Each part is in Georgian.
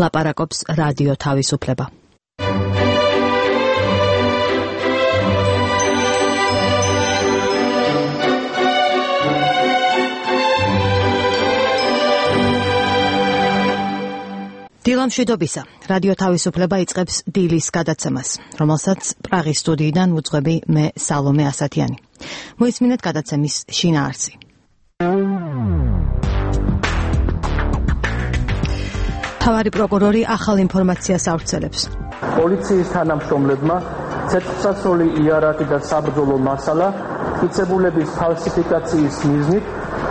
ლაპარაკობს რადიო თავისუფლება. დილამშვიდობისა. რადიო თავისუფლება იწყებს დილის გადაცემას, რომელსაც პრაღის სტუდიიდან ვუძღვები მე სალომე ასათიანი. მოისმინეთ გადაცემის შინაარსი. თავარი პროკურორი ახალ ინფორმაციას ავრცელებს. პოლიციის თანამშრომლებმა ცეცხლსასროლი იარაღი და საბრძოლო მასალა მტკიცებულების ფალსიფიკაციის მიზნით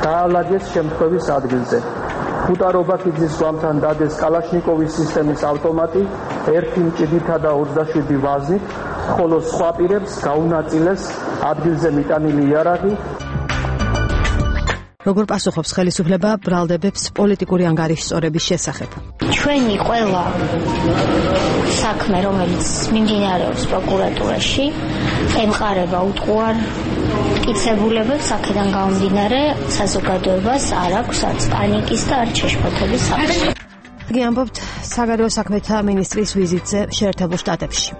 დაალაგეს შემთხვევის ადგილზე. ფუტარობაქიძის გვამთან დადეს კალაშნიკოვის სისტემის ავტომატი 1 მჭიდითა და 27 ვაზნით, ხოლო სხვა პირებს გაუნაწილეს ადგილზე მიტანილი იარაღი. როგორ პასუხობს ხელისუფლება ბრალდებებს პოლიტიკური ანგარიშსწორების შესახებ? ჩვენი ყველა საქმე, რომელიც მიმდინარეობს პროკურატურაში, ემყარება უტყუარ მტკიცებულებებს, აქედან გამომდინარე საზოგადოებას არ აქვს არც პანიკის და არც შეშფოთების საფრთხე. იგი ამბობთ საგარეო საქმეთა მინისტრის ვიზიტზე შეერთებულ შტატებში.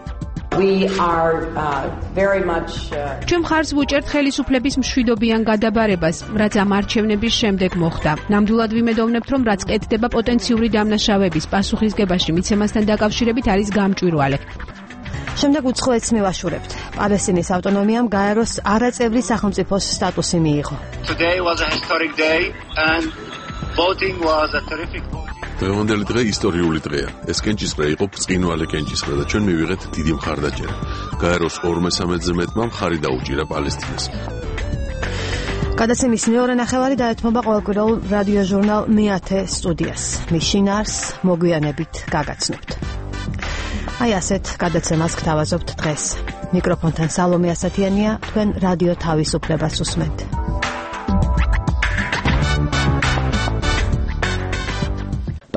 ჩვენ მხარს ვუჭერთ ხელისუფლების მშვიდობიან გადაბარებას, რაც ამ არჩევნების შემდეგ მოხდა. ნამდვილად ვიმედოვნებთ, რომ რაც კეთდება პოტენციური დამნაშავების პასუხისგებაში მიცემასთან დაკავშირებით არის გამჭვირვალე. შემდეგ უცხოეთს მივაშურებთ. პალესტინის ავტონომიამ გაეროს არაწევრი სახელმწიფოს სტატუსი მიიღო. დღევანდელი დღე ისტორიული დღეა. ეს კენჭისყრა იყო ბრწყინვალე კენჭისყრა და ჩვენ მივიღეთ დიდი მხარდაჭერა. გაეროს 2/3-ზე მეტმა მხარი დაუჭირა პალესტინას. გადაცემის მეორე ნახევარი დაეთმობა ყოველკვირეულ რადიო ჟურნალ მეათე სტუდიას. მის შინაარსს მოგვიანებით გაგაცნობთ. აი ასეთ გადაცემას გთავაზობთ დღეს. მიკროფონთან სალომე ასათიანია, თქვენ რადიო თავისუფლებას უსმენთ.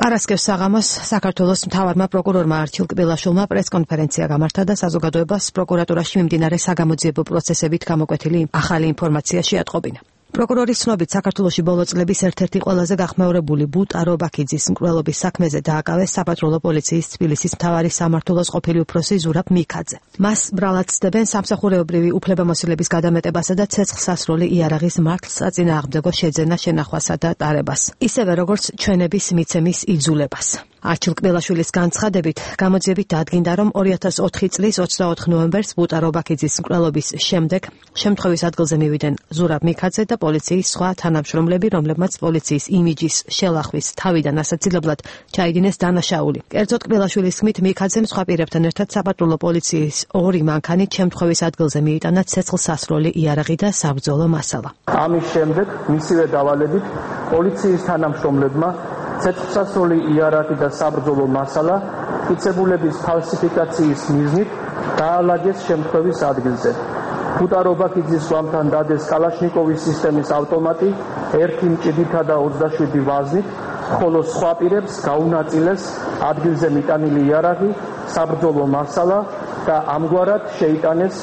პარასკევს საღამოს საქართველოს მთავარმა პროკურორმა არჩილ კბილაშვილმა პრესკონფერენცია გამართა და საზოგადოებას პროკურატურაში მიმდინარე საგამოძიებო პროცესებით გამოკვეთილი ახალი ინფორმაცია შეატყობინა. პროკურორის ცნობით საქართველოში ბოლო წლების ერთ-ერთი ყველაზე გახმეურებული ბუტარობაქიძის მკვლელობის საქმეზე დააკავეს საპატრულო პოლიციის თბილისის მთავარი სამმართველოს ყოფილი უფროსი ზურაბ მიქაძე. მას ბრალად ცდებენ სამსახურეობრივი უფლებამოსილების გადამეტებასა და ცეცხლსასროლი იარაღის მართლსაწინააღმდეგო შეძენა შენახვასა და ტარებას, ისევე როგორც ჩვენების მიცემის იძულებას. არჩილ კბილაშვილის განცხადებით, გამოძიებით დადგინდა, რომ 2004 წლის 24 ნოემბერს ბუტარობაქიძის მკვლელობის შემდეგ შემთხვევის ადგილზე მივიდნენ ზურაბ მიქაძე და პოლიციის სხვა თანამშრომლები, რომლებმაც პოლიციის იმიჯის შელახვის თავიდან ასაცილებლად ჩაიდინეს დანაშაული. კერძოდ კბილაშვილის თქმით, მიქაძემ სხვა პირებთან ერთად საპატრულო პოლიციის 2 მანქანით შემთხვევის ადგილზე მიიტანა ცეცხლსასროლი იარაღი და საბრძოლო მასალა. ამის შემდეგ მისივე დავალებით პოლიციის თანამშრომლებმა ცეცხლსასროლი იარაღი და საბრძოლო მასალა მტკიცებულების ფალსიფიკაციის მიზნით დაალაგეს შემთხვევის ადგილზე. ფუტარობაქიძის გვამთან დადეს კალაშნიკოვის სისტემის ავტომატი 1 მჭიდითა და 27 ვაზნით, ხოლო სხვა პირებს გაუნაწილეს ადგილზე მიტანილი იარაღი, საბრძოლო მასალა და ამგვარად შეიტანეს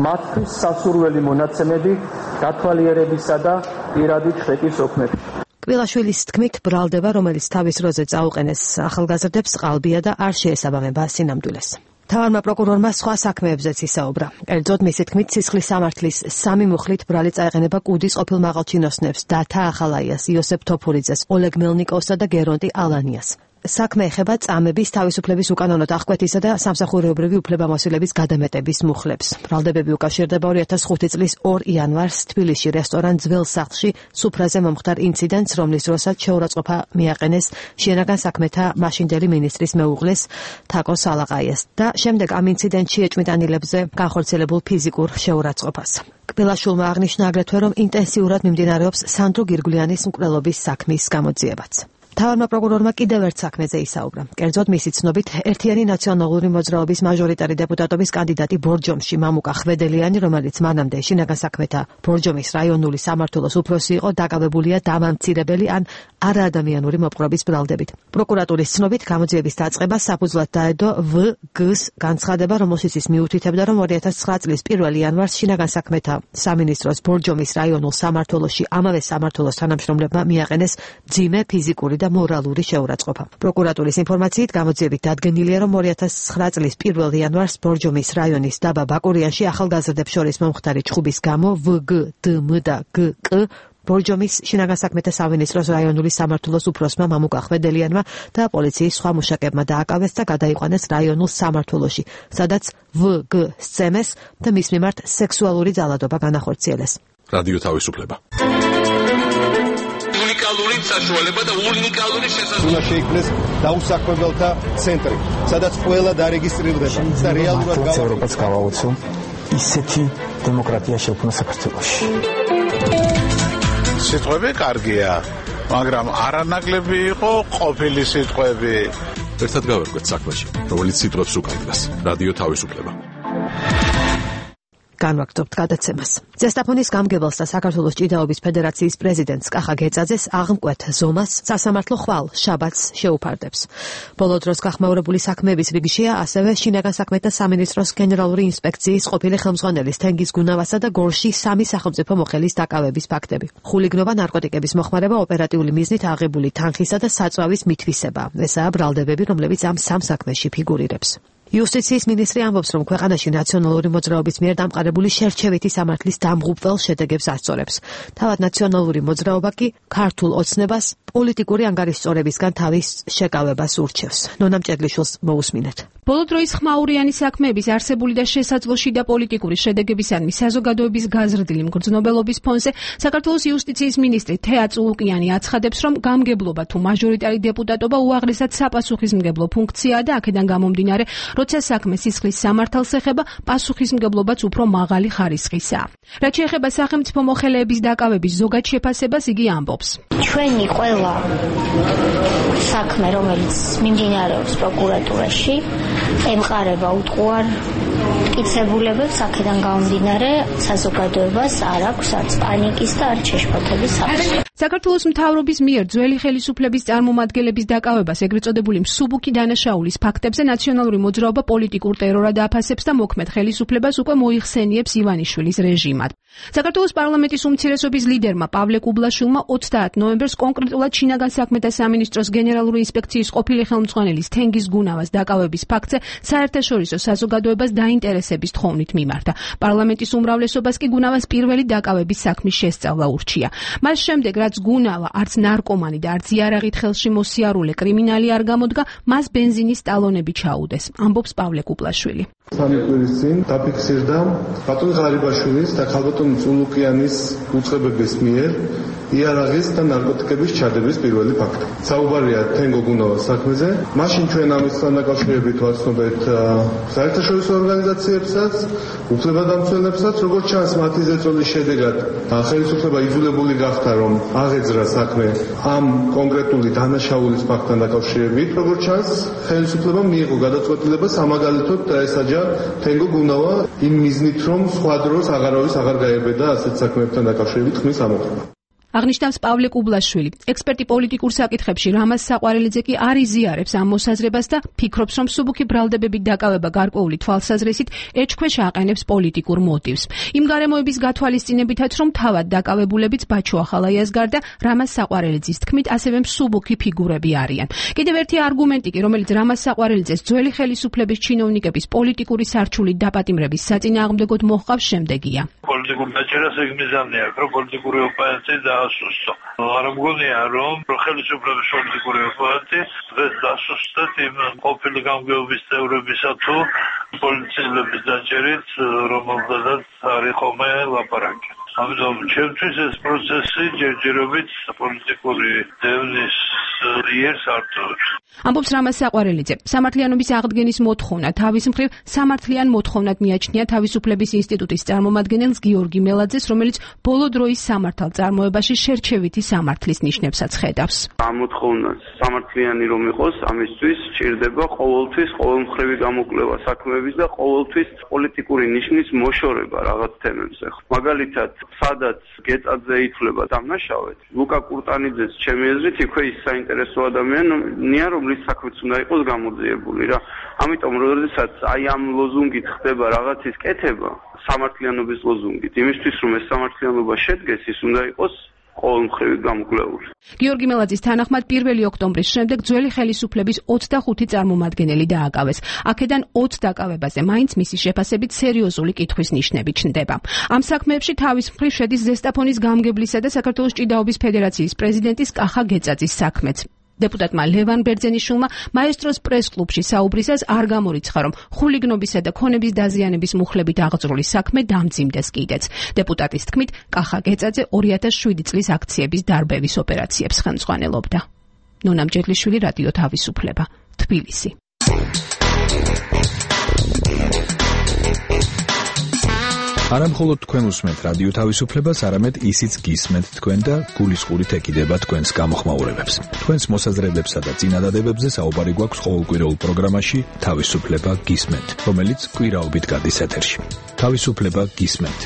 მათთვის სასურველი მონაცემები დათვალიერებისა და პირადი ჩხეტის ოფნებში. კბილაშვილის თქმით, ბრალდება, რომელიც თავის როზე წაუყენეს ახალგაზრდებს, ყალბია და არ შეესაბამება სინამდვილეს. მთავარმა პროკურორმა სხვა საქმეებზეც ისაუბრა. კერძოდ, მისი თქმით, სისხლის სამართლის 3 მუხლით ბრალი წაეყენება კუდის ყოფილ მაღალჩინოსნებს, დათა ახალაიას, იოსებ თოფურიძეს, ოლეგ მელნიკოვსა და გერონტი ალანიას. საქმე ეხება წამების, თავისუფლების უკანონოდ აღკვეთისა და სამსახურეობრივი უფლებამოსილების გადამეტების მუხლებს. ბრალდებები უკავშირდება 2005 წლის 2 იანვარს თბილისში რესტორან ძველ სახლში სუფრაზე მომხდარ ინციდენტს, რომლის დროსაც შეურაცხყოფა მიაყენეს შინაგან საქმეთა მაშინდელი მინისტრის მეუღლეს თაკო სალაყაიას და შემდეგ ამ ინციდენტში ეჭვმიტანილებზე განხორციელებულ ფიზიკურ შეურაცხყოფას. კბილაშვილმა აღნიშნა აგრეთვე, რომ ინტენსიურად მიმდინარეობს სანდრო გირგვლიანის მკვლელობის საქმის გამოძიებაც. მთავარმა პროკურორმა კიდევ ერთ საქმეზე ისაუბრა. კერძოდ, მისი ცნობით, ერთიანი ნაციონალური მოძრაობის მაჟორიტარი დეპუტატობის კანდიდატი ბორჯომში მამუკა ხვედელიანი, რომელიც მანამდე შინაგან საქმეთა ბორჯომის რაიონული სამმართველოს უფროსი იყო, დაკავებულია დამამცირებელი ან არაადამიანური მოპყრობის ბრალდებით. პროკურატურის ცნობით, გამოძიების დაწყება საფუძვლად დაედო ვ.გ.-ს განცხადება, რომელშიც ის მიუთითებდა, რომ 2009 წლის 1 იანვარს შინაგან საქმეთა სამინისტროს ბორჯომის რაიონულ სამმართველოში ამავე სამმართველოს თანამშრომლებმა მიაყენეს მძიმე ფიზიკური და მორალური შეურაცხყოფა. პროკურატურის ინფორმაციით გამოძიებით დადგენილია, რომ 2009 წლის 1 იანვარს ბორჯომის რაიონის დაბა ბაკურიანში ახალგაზრდებს შორის მომხდარი ჩხუბის გამო ვგდმ და გკ ბორჯომის შინაგან საქმეთა სამინისტროს რაიონული სამმართველოს უფროსმა მამუკა ხვედელიანმა და პოლიციის სხვა მუშაკებმა დააკავეს და გადაიყვანეს რაიონულ სამმართველოში, სადაც ვგ სცემეს და მის მიმართ სექსუალური ძალადობა განახორციელეს. რადიო თავისუფლება. უნიკალური საშუალება და უნიკალური შესაძლებლობა შეიქმნეს დაუსაქმებელთა ცენტრი, სადაც ყველა დარეგისტრირდება და რეალურად ევროპას გავაუწო ისეთი დემოკრატია შექმნა საქართველოში. სიტყვები კარგია, მაგრამ არანაკლები იყო ყოფილი სიტყვები. ერთად გავერკვეთ საქმეში, რომელიც სიტყვებს უკავშირდება. რადიო თავისუფლება. განვაგრძობთ გადაცემას. ზესტაფონის გამგებელს და საქართველოს ჭიდაობის ფედერაციის პრეზიდენტს კახა გეწაძეს აღმკვეთ ზომას სასამართლო ხვალ შაბათს შეუფარდებს. ბოლო დროს გახმაურებული საქმეების რიგშია ასევე შინაგან საქმეთა სამინისტროს გენერალური ინსპექციის ყოფილი ხელმძღვანელის თენგიზ გუნავასა და გორში 3 სახელმწიფო მოხელის დაკავების ფაქტები. ხულიგნობა, ნარკოტიკების მოხმარება, ოპერატიული მიზნით აღებული თანხისა და საწვავის მითვისება. ესაა ბრალდებები, რომლებიც ამ სამ საქმეში ფიგურირებს. იუსტიციის მინისტრი ამბობს, რომ ქვეყანაში ნაციონალური მოძრაობის მიერ დამყარებული შერჩევითი სამართლის დამღუპველ შედეგებს ასწორებს. თავად ნაციონალური მოძრაობა კი ქართულ ოცნებას პოლიტიკური ანგარიშწორებისგან თავის შეკავებას ურჩევს. ნონამ ჭედლიშვილს მოусმინეთ. ბოლო დროის ხმაურიანი საქმეების არსებული და შესაძლოში და პოლიტიკური შედეგებისადმი საზოგადოების გაზრდილი მგრძნობელობის ფონზე საქართველოს იუსტიციის მინისტრი თეა წულუკიანი აცხადებს, რომ გამგებლობა თუ მაჟორიტარი deputatობა უაღრესად საპასუხისმგებლო ფუნქციაა და აქედან გამომდინარე, როცა საქმე სისხლის სამართალს ეხება, პასუხისმგებლობაც უფრო მაღალი ხარისხისაა. რაც შეეხება სახელმწიფო მოხელეების დაკავების ზოგად შეფასებას, იგი ამბობს. ჩვენი ყველა საქმე, რომელიც მიმდინარეობს პროკურატურაში, ემყარება უტყუარ მტკიცებულებებს, აქედან გამომდინარე, საზოგადოებას არ აქვს არც პანიკის და არც შეშფოთების საფრთხე. საქართველოს მთავრობის მიერ ძველი ხელისუფლების წარმომადგენლების დაკავებას ეგრეთ წოდებული მსუბუქი დანაშაულის ფაქტებზე ნაციონალური მოძრაობა პოლიტიკურ ტერორად აფასებს და მოქმედ ხელისუფლებას უკვე მოიხსენიებს ივანიშვილის რეჟიმად. საქართველოს პარლამენტის უმცირესობის ლიდერმა პავლე კუბლაშვილმა 30 ნოემბერს კონკრეტულად შინაგან საქმეთა სამინისტროს გენერალური ინსპექციის ყოფილი ხელმძღვანელის თენგიზ გუნავას დაკავების ფაქტზე საერთაშორისო საზოგადოებას დაინტერესების თხოვნით მიმართა. პარლამენტის უმრავლესობას კი გუნავას პირველი დაკავების საქმის შესწავლა ურჩია. მას შემდეგ, რაც გუნავა არც ნარკომანი და არც იარაღით ხელში მოსიარულე კრიმინალი არ გამოდგა, მას ბენზინის ტალონები ჩაუდეს, ამბობს პავლე კუბლაშვილი. სამი კვირის წინ დაფიქსირდა ბატონ ღარიბაშვილის და ქალბატონ წულუკიანის უწყებების მიერ იარაღის და ნარკოტიკების ჩადების პირველი ფაქტი. საუბარია თენგო გუნავას საქმეზე. მაშინ ჩვენ ამისთან დაკავშირებით ვაცნობეთ საერთაშორისო ორგანიზაციებსაც, უფლებადამცველებსაც, როგორც ჩანს მათი ზეწოლის შედეგად ხელისუფლება იძულებული გახდა, რომ აღეძრა საქმე ამ კონკრეტული დანაშაულის ფაქტთან დაკავშირებით. როგორც ჩანს, ხელისუფლებამ მიიღო გადაწყვეტილება სამაგალითოდ დაესაჯა თენგო გუნავა იმ მიზნით, რომ სხვა დროს აღარავის აღარ გაებედა ასეთ საქმეებთან დაკავშირებით ხმის ამოღება. აღნიშნავს პავლე კუბლაშვილი. ექსპერტი პოლიტიკურ საკითხებში რამაზ საყვარელიძე კი არ იზიარებს ამ მოსაზრებას და ფიქრობს, რომ მსუბუქი ბრალდებებით დაკავება გარკვეული თვალსაზრისით ეჭქვეშ აყენებს პოლიტიკურ მოტივს. იმ გარემოების გათვალისწინებითაც, რომ თავად დაკავებულებიც ბაჩო ახალაიას გარდა რამაზ საყვარელიძის თქმით ასევე მსუბუქი ფიგურები არიან. კიდევ ერთი არგუმენტი კი, რომელიც რამაზ საყვარელიძეს ძველი ხელისუფლების ჩინოვნიკების პოლიტიკური სარჩულით დაპატიმრების საწინააღმდეგოდ მოჰყავს შემდეგია. პოლიტიკურ დაჭერას ეგ მიზანი აქვს, რომ პოლიტიკური ოპერაცია დაასუსტო. არ მგონია, რომ ხელისუფლების პოლიტიკური ოპერაცია დღეს დასუსტეთ იმ ყოფილი გამგეობის წევრებისა თუ პოლიციელების დაჭერით, რომელთაც არ იყომე ლაპარაკი. ამიტომ ჩემთვის ეს პროცესი ჯერჯერობით პოლიტიკური დევნის იერ სარწმუნოებს. ამბობს რამაზ საყვარელიძე. სამართლიანობის აღდგენის მოთხოვნა თავის მხრივ სამართლიან მოთხოვნად მიაჩნია თავისუფლების ინსტიტუტის წარმომადგენელს გიორგი მელაძეს, რომელიც ბოლო დროის სამართალ წარმოებაში შერჩევითი სამართლის ნიშნებსაც ხედავს. ამ მოთხოვნას სამართლიანი რომ იყოს, ამისთვის სჭირდება ყოველთვის ყოველმხრივი გამოკვლევა საქმეების და ყოველთვის პოლიტიკური ნიშნის მოშორება რაღაც თემებზე. მაგალითად, სადაც გეწაძე ითვლება დამნაშავედ, ლუკა კურტანიძეს ჩემი აზრით იქვე ის საინტერესო ადამიანია, რომლის საქმეც უნდა იყოს გამოძიებული რა. ამიტომ როდესაც აი ამ ლოზუნგით ხდება რაღაცის კეთება, სამართლიანობის ლოზუნგით, იმისთვის რომ ეს სამართლიანობა შედგეს, ის უნდა იყოს ყოველმხრივი გამოკვლეული. გიორგი მელაძის თანახმად 1 ოქტომბრის შემდეგ ძველი ხელისუფლების 25 წარმომადგენელი დააკავეს. აქედან 20 დაკავებაზე მაინც მისი შეფასებით სერიოზული კითხვის ნიშნები ჩნდება. ამ საქმეებში თავის მხრივ შედის ზესტაფონის გამგებლისა და საქართველოს ჭიდაობის ფედერაციის პრეზიდენტის კახა გეწაძის საქმეც. დეპუტატმა ლევან ბერძენიშვილმა მაესტროს პრეს-კლუბში საუბრისას არ გამორიცხა, რომ ხულიგნობისა და ქონების დაზიანების მუხლებით აღძრული საქმე დამძიმდეს კიდეც. დეპუტატის თქმით, კახა გეწაძე 2007 წლის აქციების დარბევის ოპერაციებს ხელმძღვანელობდა. ნონა მჯედლიშვილი, რადიო თავისუფლება, თბილისი. არა მხოლოდ თქვენ უსმენთ რადიო თავისუფლებას, არამედ ისიც გისმენთ თქვენ და გულისყურით ეკიდება თქვენს გამოხმაურებებს. თქვენს მოსაზრებებსა და წინადადებებზე საუბარი გვაქვს ყოველკვირეულ პროგრამაში თავისუფლება გისმენთ, რომელიც კვირაობით გადის ეთერში. თავისუფლება გისმენთ.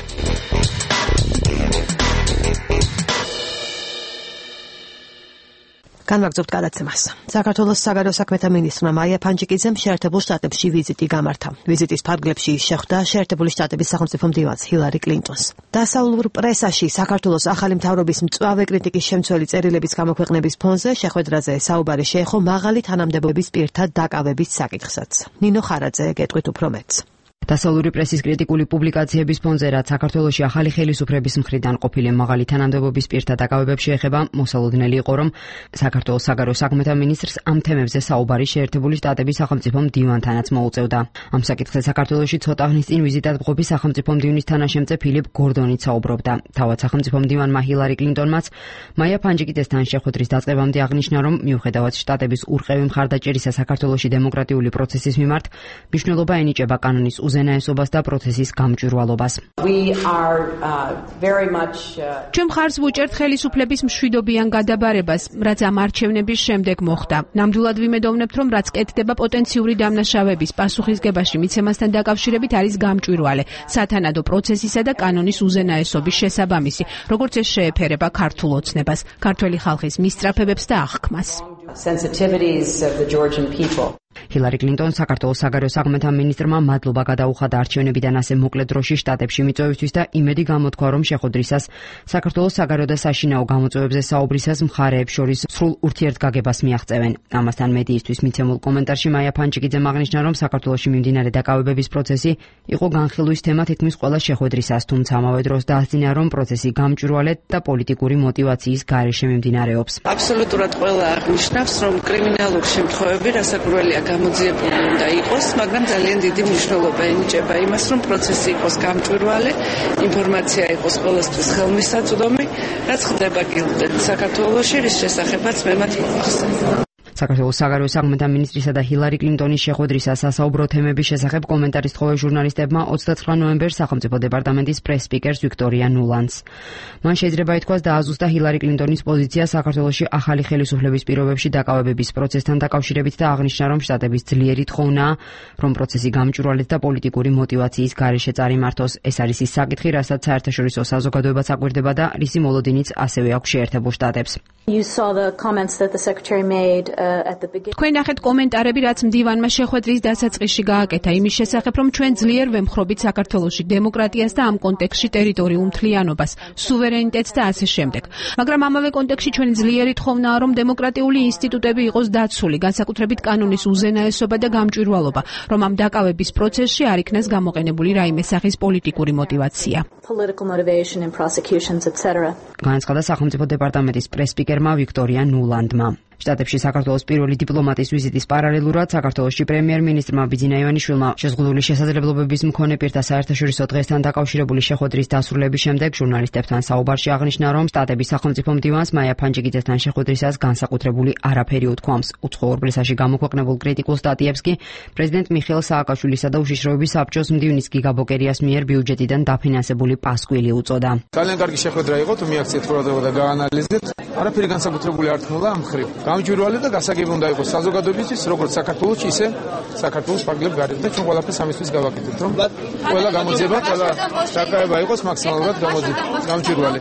განვაგრძობთ გადაცემას. საქართველოს საგარეო საქმეთა მინისტრმა მაია ფანჯიკიძემ შეერთებულ შტატებში ვიზიტი გამართა. ვიზიტის ფარგლებში შეხვდა შეერთებული შტატების სახელმწიფო მდივანს ჰილარი კლინტონს. დასავლურ პრესაში საქართველოს ახალი მთავრობის მწვავე კრიტიკის შემცველი წერილების გამოქვეყნების ფონზე შეხვედრაზე საუბარი შეეხო მაღალი თანამდებობის პირთა დაკავების საკითხსაც. ნინო ხარაძე გეტყვით უფრო მეტს. დასავლური პრესის კრიტიკული პუბლიკაციების ფონზე, რაც საქართველოში ახალი ხელისუფლების მხრიდან ყოფილი მაღალი თანამდებობის პირთა დაკავებებში ეხება, მოსალოდნელი იყო, რომ საქართველოს საგარეო საქმეთა მინისტრს ამ თემებზე საუბარი შეერთებული შტატების სახელმწიფო მდივანთანაც მოუწევდა. ამ საკითხზე საქართველოში ცოტა ხნის წინ ვიზიტად მყოფი სახელმწიფო მდივნის თანაშემწე ფილიპ გორდონიც საუბრობდა. თავად სახელმწიფო მდივანმა ჰილარი კლინტონმაც მაია ფანჯიკიძესთან შეხვედრის დაწყებამდე აღნიშნა, რომ მიუხედავად შტატების ურყევი მხარდაჭერისა საქართველოში დემოკრატიული პროცესის მიმართ, მნიშვნელობა ენიჭება კანონის უზენაესობას და პროცესის გამჭვირვალობას. ჩვენ მხარს ვუჭერთ ხელისუფლების მშვიდობიან გადაბარებას, რაც ამ არჩევნების შემდეგ მოხდა. ნამდვილად ვიმედოვნებთ, რომ რაც კეთდება პოტენციური დამნაშავების პასუხისგებაში მიცემასთან დაკავშირებით არის გამჭვირვალე, სათანადო პროცესისა და კანონის უზენაესობის შესაბამისი, როგორც ეს შეეფერება ქართულ ოცნებას, ქართველი ხალხის მისწრაფებებს და აღქმას. ჰილარი კლინტონ საქართველოს საგარეო საქმეთა მინისტრმა მადლობა გადაუხადა არჩევნებიდან ასე მოკლე დროში შტატებში მიწვევისთვის და იმედი გამოთქვა, რომ შეხვედრისას საქართველოს საგარეო და საშინაო გამოწვევებზე საუბრისას მხარეებს შორის სრულ ურთიერთგაგებას მიაღწევენ. ამასთან მედიისთვის მიცემულ კომენტარში მაია ფანჯიკიძემ აღნიშნა, რომ საქართველოში მიმდინარე დაკავებების პროცესი იყო განხილვის თემა თითქმის ყველა შეხვედრისას, თუმცა ამავე დროს დაასძინა, რომ პროცესი გამჭვირვალედ და პოლიტიკური მოტივაციის გარეშე მიმდინარეობს. აბსოლუტურად ყველა აღნიშნავს, რომ კრიმინალური შემთხვევები რასაკვირველია გამოძიებული უნდა იყოს, მაგრამ ძალიან დიდი მნიშვნელობა ენიჭება იმას, რომ პროცესი იყოს გამჭვირვალე, ინფორმაცია იყოს ყველასთვის ხელმისაწვდომი, რაც ხდება კიდევ საქართველოში, რის შესახებაც მე მათ მოვახსენე. საქართველოს საგარეო საქმეთა მინისტრისა და ჰილარი კლინტონის შეხვედრისას სასაუბრო თემების შესახებ კომენტარის თხოვე ჟურნალისტებმა 29 ნოემბერს სახელმწიფო დეპარტამენტის პრეს-სპიკერს ვიქტორია ნულანს. მან შეიძლება ითქვას დააზუსტა ჰილარი კლინტონის პოზიცია საქართველოში ახალი ხელისუფლების პირობებში დაკავებების პროცესთან დაკავშირებით და აღნიშნა, რომ შტატების ძლიერი თხოვნაა, რომ პროცესი გამჭვირვალედ და პოლიტიკური მოტივაციის გარეშე წარიმართოს. ეს არის ის საკითხი, რასაც საერთაშორისო საზოგადოებაც აკვირდება და რისი მოლოდინიც ასევე აქვს შეერთებულ შტატებს. თქვენ ნახეთ კომენტარები, რაც მდივანმა შეხვედრის დასაწყისში გააკეთა იმის შესახებ, რომ ჩვენ ძლიერ ვემხრობით საქართველოში დემოკრატიას და ამ კონტექსტში ტერიტორიულ მთლიანობას, სუვერენიტეტს და ასე შემდეგ. მაგრამ ამავე კონტექსტში ჩვენი ძლიერი თხოვნაა, რომ დემოკრატიული ინსტიტუტები იყოს დაცული, განსაკუთრებით კანონის უზენაესობა და გამჭვირვალობა, რომ ამ დაკავების პროცესში არ იქნას გამოყენებული რაიმე სახის პოლიტიკური მოტივაცია. განაცხადა სახელმწიფო დეპარტამენტის პრეს-სპიკერმა ვიქტორია ნულანდმა. შტატებში საქართველოს პირველი დიპლომატის ვიზიტის პარალელურად საქართველოში პრემიერ-მინისტრმა ბიძინა ივანიშვილმა შეზღუდული შესაძლებლობების მქონე პირთა საერთაშორისო დღესთან დაკავშირებული შეხვედრის დასრულების შემდეგ ჟურნალისტებთან საუბარში აღნიშნა, რომ შტატების სახელმწიფო მდივანს მაია ფანჯიკიძესთან შეხვედრისას განსაკუთრებული არაფერი უთქვამს. უცხოურ პრესაში გამოქვეყნებულ კრიტიკულ სტატიებს კი პრეზიდენტ მიხეილ სააკაშვილისა და უშიშროების საბჭოს მდივნის გიგა ბოკერიას მიერ ბიუჯეტიდან დაფინანსებული პასკვილი უწოდა. ძალიან კარგი შეხვედრა იყო, თუ მიაქციეთ ყურადღება და გაანალიზეთ. არაფერი განსაკუთრებული არ თქმულა ამ მხრივ. გამჭვირვალე და გასაგები უნდა იყოს საზოგადოებისთვის, როგორც საქართველოში, ისე საქართველოს ფარგლებს გარეთ და ჩვენ ყველაფერს ამისთვის გავაკეთებთ, რომ ყველა გამოძიება, ყველა დაკავება იყოს მაქსიმალურად გამჭვირვალე.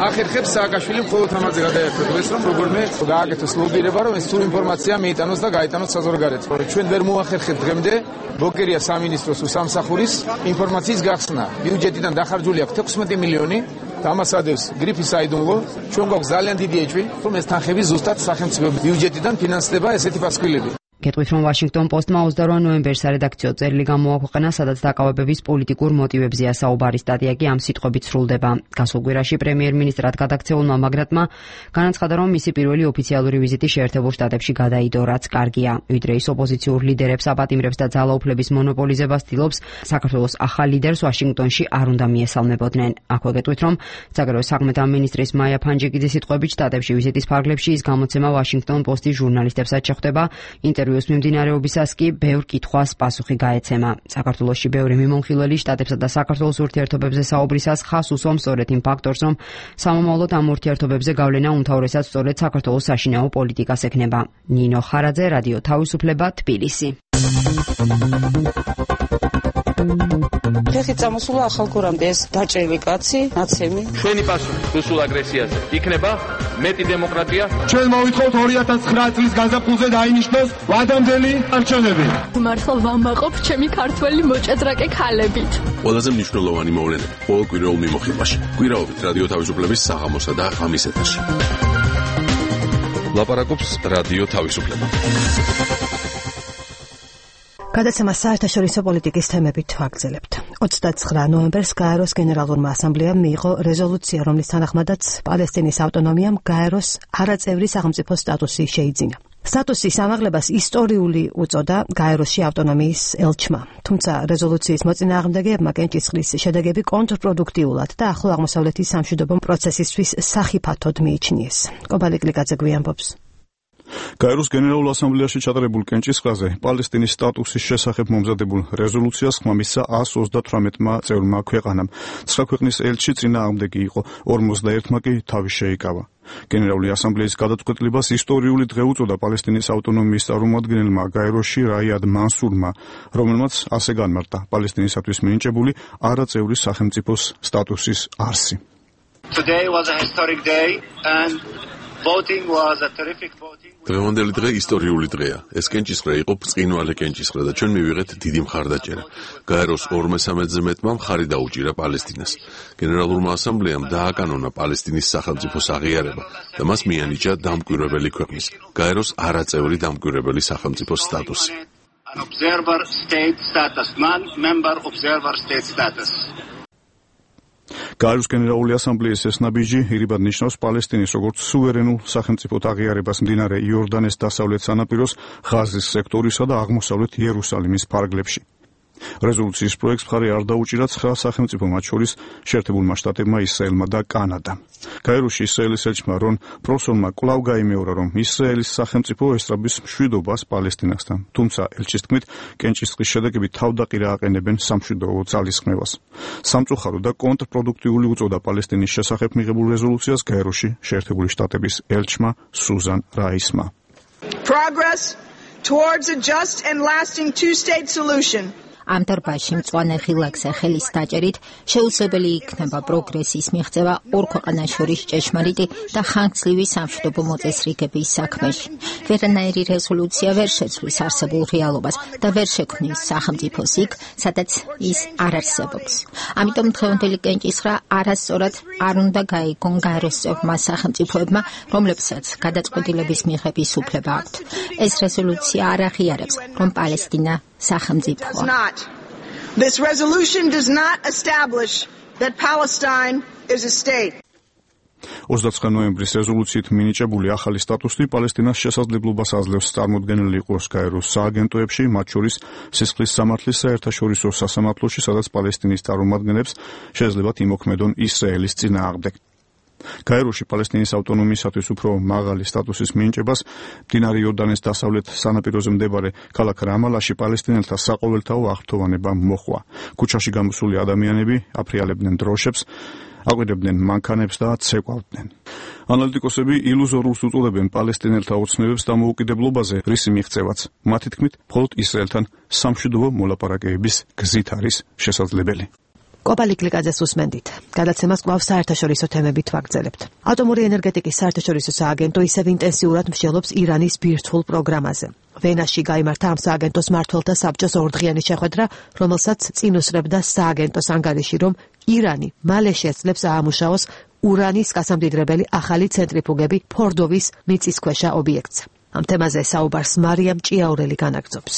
ახერხებს სააკაშვილი მხოლოდ ამაზე გადაერთოს, რომ როგორმე გააკეთოს ლობირება, რომ ეს სრულ ინფორმაცია მიიტანოს და გაიტანოს საზოგადოებაზე. ჩვენ ვერ მოახერხებთ დღემდე ბოკერია სამინისტროს უსამსახურის ინფორმაციის გახსნა. ბიუჯეტიდან დახარჯული აქვს 16 მილიონი დამასადებს გრიფის საიდუმლო, ჩვენ გვაქვს ძალიან დიდი ეჭვი, რომ ეს თანხები ზუსტად სახელმწიფო ბიუჯეტიდან ფინანსდება ესეთი პასუხილები. გეტყვით, რომ Washington Post-მა 28 ნოემბერს სარედაქციო წერილი გამოაქვეყნა, სადაც დაკავებების პოლიტიკურ მოტივებზეა საუბარი. სტატია კი ამ სიტყვებით სრულდება. გასულ კვირაში პრემიერ-მინისტრად გადაქცეულმა მაგრატმა განაცხადა, რომ მისი პირველი ოფიციალური ვიზიტი შეერთებულ შტატებში გადაიდო, რაც კარგია. ვიდრე ის ოპოზიციურ ლიდერებს აპატიმრებს და ძალაუფლების მონოპოლიზებას ცდილობს, საქართველოს ახალ ლიდერს ვაშინგტონში არ უნდა მიესალმებოდნენ. აქვე გეტყვით, რომ საგარეო საქმეთა მინისტრის მაია ფანჯიკიძის სიტყვებით შტატებში ვიზიტის ფარგლებში ის გამოცემა Washington Post-ის ჟურნალისტებსაც შეხვდება. ინტერვიუს მიმდინარეობისას კი ბევრ კითხვას პასუხი გაეცემა. საქართველოში ბევრი მიმოხილველი შტატებსა და საქართველოს ურთიერთობებზე საუბრისას ხას უსვამს სწორედ იმ ფაქტორს, რომ სამომავლოდ ამ ურთიერთობებზე გავლენა უმთავრესად სწორედ საქართველოს საშინაო პოლიტიკას ექნება. ნინო ხარაძე, რადიო თავისუფლება, თბილისი. ხეხი წამოსულა ახალგორამდე ეს დაჭრილი კაცი, ნაცემი. ჩვენი პასუხი რუსულ აგრესიაზე იქნება მეტი დემოკრატია. ჩვენ მოვითხოვთ 2009 წლის გაზაფხულზე დაინიშნოს ვადამდელი არჩევნები. მართლა ვამაყობ ჩემი ქართველი მოჭადრაკე ქალებით. ყველაზე მნიშვნელოვანი მოვლენები ყოველ კვირაულ მიმოხილვაში. კვირაობით რადიო თავისუფლების საღამოსა და ღამის ეთერში. ლაპარაკობს რადიო თავისუფლება. გადაცემა საერთაშორისო პოლიტიკის თემებით ვაგრძელებთ. 29 ნოემბერს გაეროს გენერალურმა ასამბლეამ მიიღო რეზოლუცია, რომლის თანახმადაც პალესტინის ავტონომიამ გაეროს არაწევრი სახელმწიფო სტატუსი შეიძინა. სტატუსის ამაღლებას ისტორიული უწოდა გაეროში ავტონომიის ელჩმა. თუმცა რეზოლუციის მოწინააღმდეგეებმა კენჭისყრის შედეგები კონტრპროდუქტიულად და ახლო აღმოსავლეთის სამშვიდობო პროცესისთვის სახიფათოდ მიიჩნიეს. კობალი კლიკაძე გვიანბობს. გაეროს გენერალურ ასამბლეაში ჩატარებულ კენჭისყრაზე პალესტინის სტატუსის შესახებ მომზადებულ რეზოლუციას ხმა მისცა 138-მა წევრმა ქვეყანამ. 9 ქვეყნის ელჩი წინააღმდეგი იყო, 51-მა კი თავი შეიკავა. გენერალური ასამბლეის გადაწყვეტილებას ისტორიული დღე უწოდა პალესტინის ავტონომიის წარმომადგენელმა გაეროში რაიად მანსურმა, რომელმაც ასე განმარტა პალესტინისათვის მინიჭებული არაწევრი სახელმწიფოს სტატუსის არსი. Today was a historic day and voting was a terrific voting. დღევანდელი დღე ისტორიული დღეა. ეს კენჭისყრა იყო ბრწყინვალე კენჭისყრა და ჩვენ მივიღეთ დიდი მხარდაჭერა. გაეროს 2/13-ზე მეტმა მხარი დაუჭირა პალესტინას. გენერალურმა ასამბლეამ დააკანონა პალესტინის სახელმწიფოს აღიარება და მას მიანიჭა დამკვირვებელი ქვეყნის, გაეროს არაწევრი დამკვირვებელი სახელმწიფოს სტატუსი. Observer state status, non-member observer state status. გაეროს გენერალური ასამბლეის ეს ნაბიჯი ირიბად ნიშნავს პალესტინის როგორც სუვერენულ სახელმწიფოდ აღიარებას მდინარე იორდანეს დასავლეთ სანაპიროს, ღაზის სექტორისა და აღმოსავლეთ იერუსალიმის ფარგლებში. რეზოლუციის პროექტს მხარი არ დაუჭირა 9 სახელმწიფო, მათ შორის შეერთებულმა შტატებმა, ისრაელმა და კანადამ. გაეროში ისრაელის ელჩმა რონ პროსონმა კვლავ გაიმეორა, რომ ისრაელის სახელმწიფო ესწრაფვის მშვიდობას პალესტინასთან. თუმცა ელჩის თქმით, კენჭისყრის შედეგები თავდაყირა აყენებენ სამშვიდობო ძალისხმევას. სამწუხარო და კონტრპროდუქტიული უწოდა პალესტინის შესახებ მიღებულ რეზოლუციას გაეროში შეერთებული შტატების ელჩმა სუზან რაისმა. Progress towards a just and lasting two-state solution. ამ დარბაზში მწვანე ხილაკზე ხელის დაჭერით შეუძლებელი იქნება პროგრესის მიღწევა ორ ქვეყანას შორის ჭეშმარიტი და ხანგრძლივი სამშვიდობო მოწესრიგების საქმეში. ვერანაირი რეზოლუცია ვერ შეცვლის არსებულ რეალობას და ვერ შექმნის სახელმწიფოს იქ, სადაც ის არ არსებობს. ამიტომ დღევანდელი კენჭისყრა არასწორად არ უნდა გაიგონ გაეროს წევრმა სახელმწიფოებმა, რომლებსაც გადაწყვეტილების მიღების უფლება აქვთ. ეს რეზოლუცია არ აღიარებს, რომ პალესტინა სახელმწიფოა. This resolution does not establish that Palestine is a state. 29 ნოემბრის რეზოლუციით მინიჭებული ახალი სტატუსი პალესტინას შესაძლებლობას აძლევს წარმოდგენილი იყოს გაეროს სააგენტოებში, მათ შორის სისხლის სამართლის საერთაშორისო სასამართლოში, სადაც პალესტინის წარმომადგენლებს შეეძლებათ იმოქმედონ ისრაელის წინააღმდეგ. გაეროში პალესტინის ავტონომიისათვის უფრო მაღალი სტატუსის მინიჭებას მდინარე იორდანეს დასავლეთ სანაპიროზე მდებარე ქალაქ რამალაში პალესტინელთა საყოველთაო აღფრთოვანება მოხვა. ქუჩაში გამოსული ადამიანები აფრიალებდნენ დროშებს, აკვირდებდნენ მანქანებს და ცეკვავდნენ. ანალიტიკოსები ილუზორულს უწოდებენ პალესტინელთა ოცნებებს დამოუკიდებლობაზე, რისი მიღწევაც მათი თქმით მხოლოდ ისრაელთან სამშვიდობო მოლაპარაკებების გზით არის შესაძლებელი. კოპალი კლიკაძეს უსმენდით. გადაცემას კვლავ საერთაშორისო თემებით ვაგრძელებთ. ატომური ენერგეტიკის საერთაშორისო სააგენტო ისევ ინტენსიურად მსჯელობს ირანის ბირთვულ პროგრამაზე. ვენაში გაიმართა ამ სააგენტოს მმართველთა საბჭოს ორდღიანი შეხვედრა, რომელსაც წინ უსწრებდა სააგენტოს ანგარიში, რომ ირანი მალე შეძლებს აამუშავოს ურანის გასამდიდრებელი ახალი ცენტრიფუგები ფორდოვის მიწისქვეშა ობიექტს. ამ თემაზე საუბარს მარიამ ჭიაურელი განაგრძობს.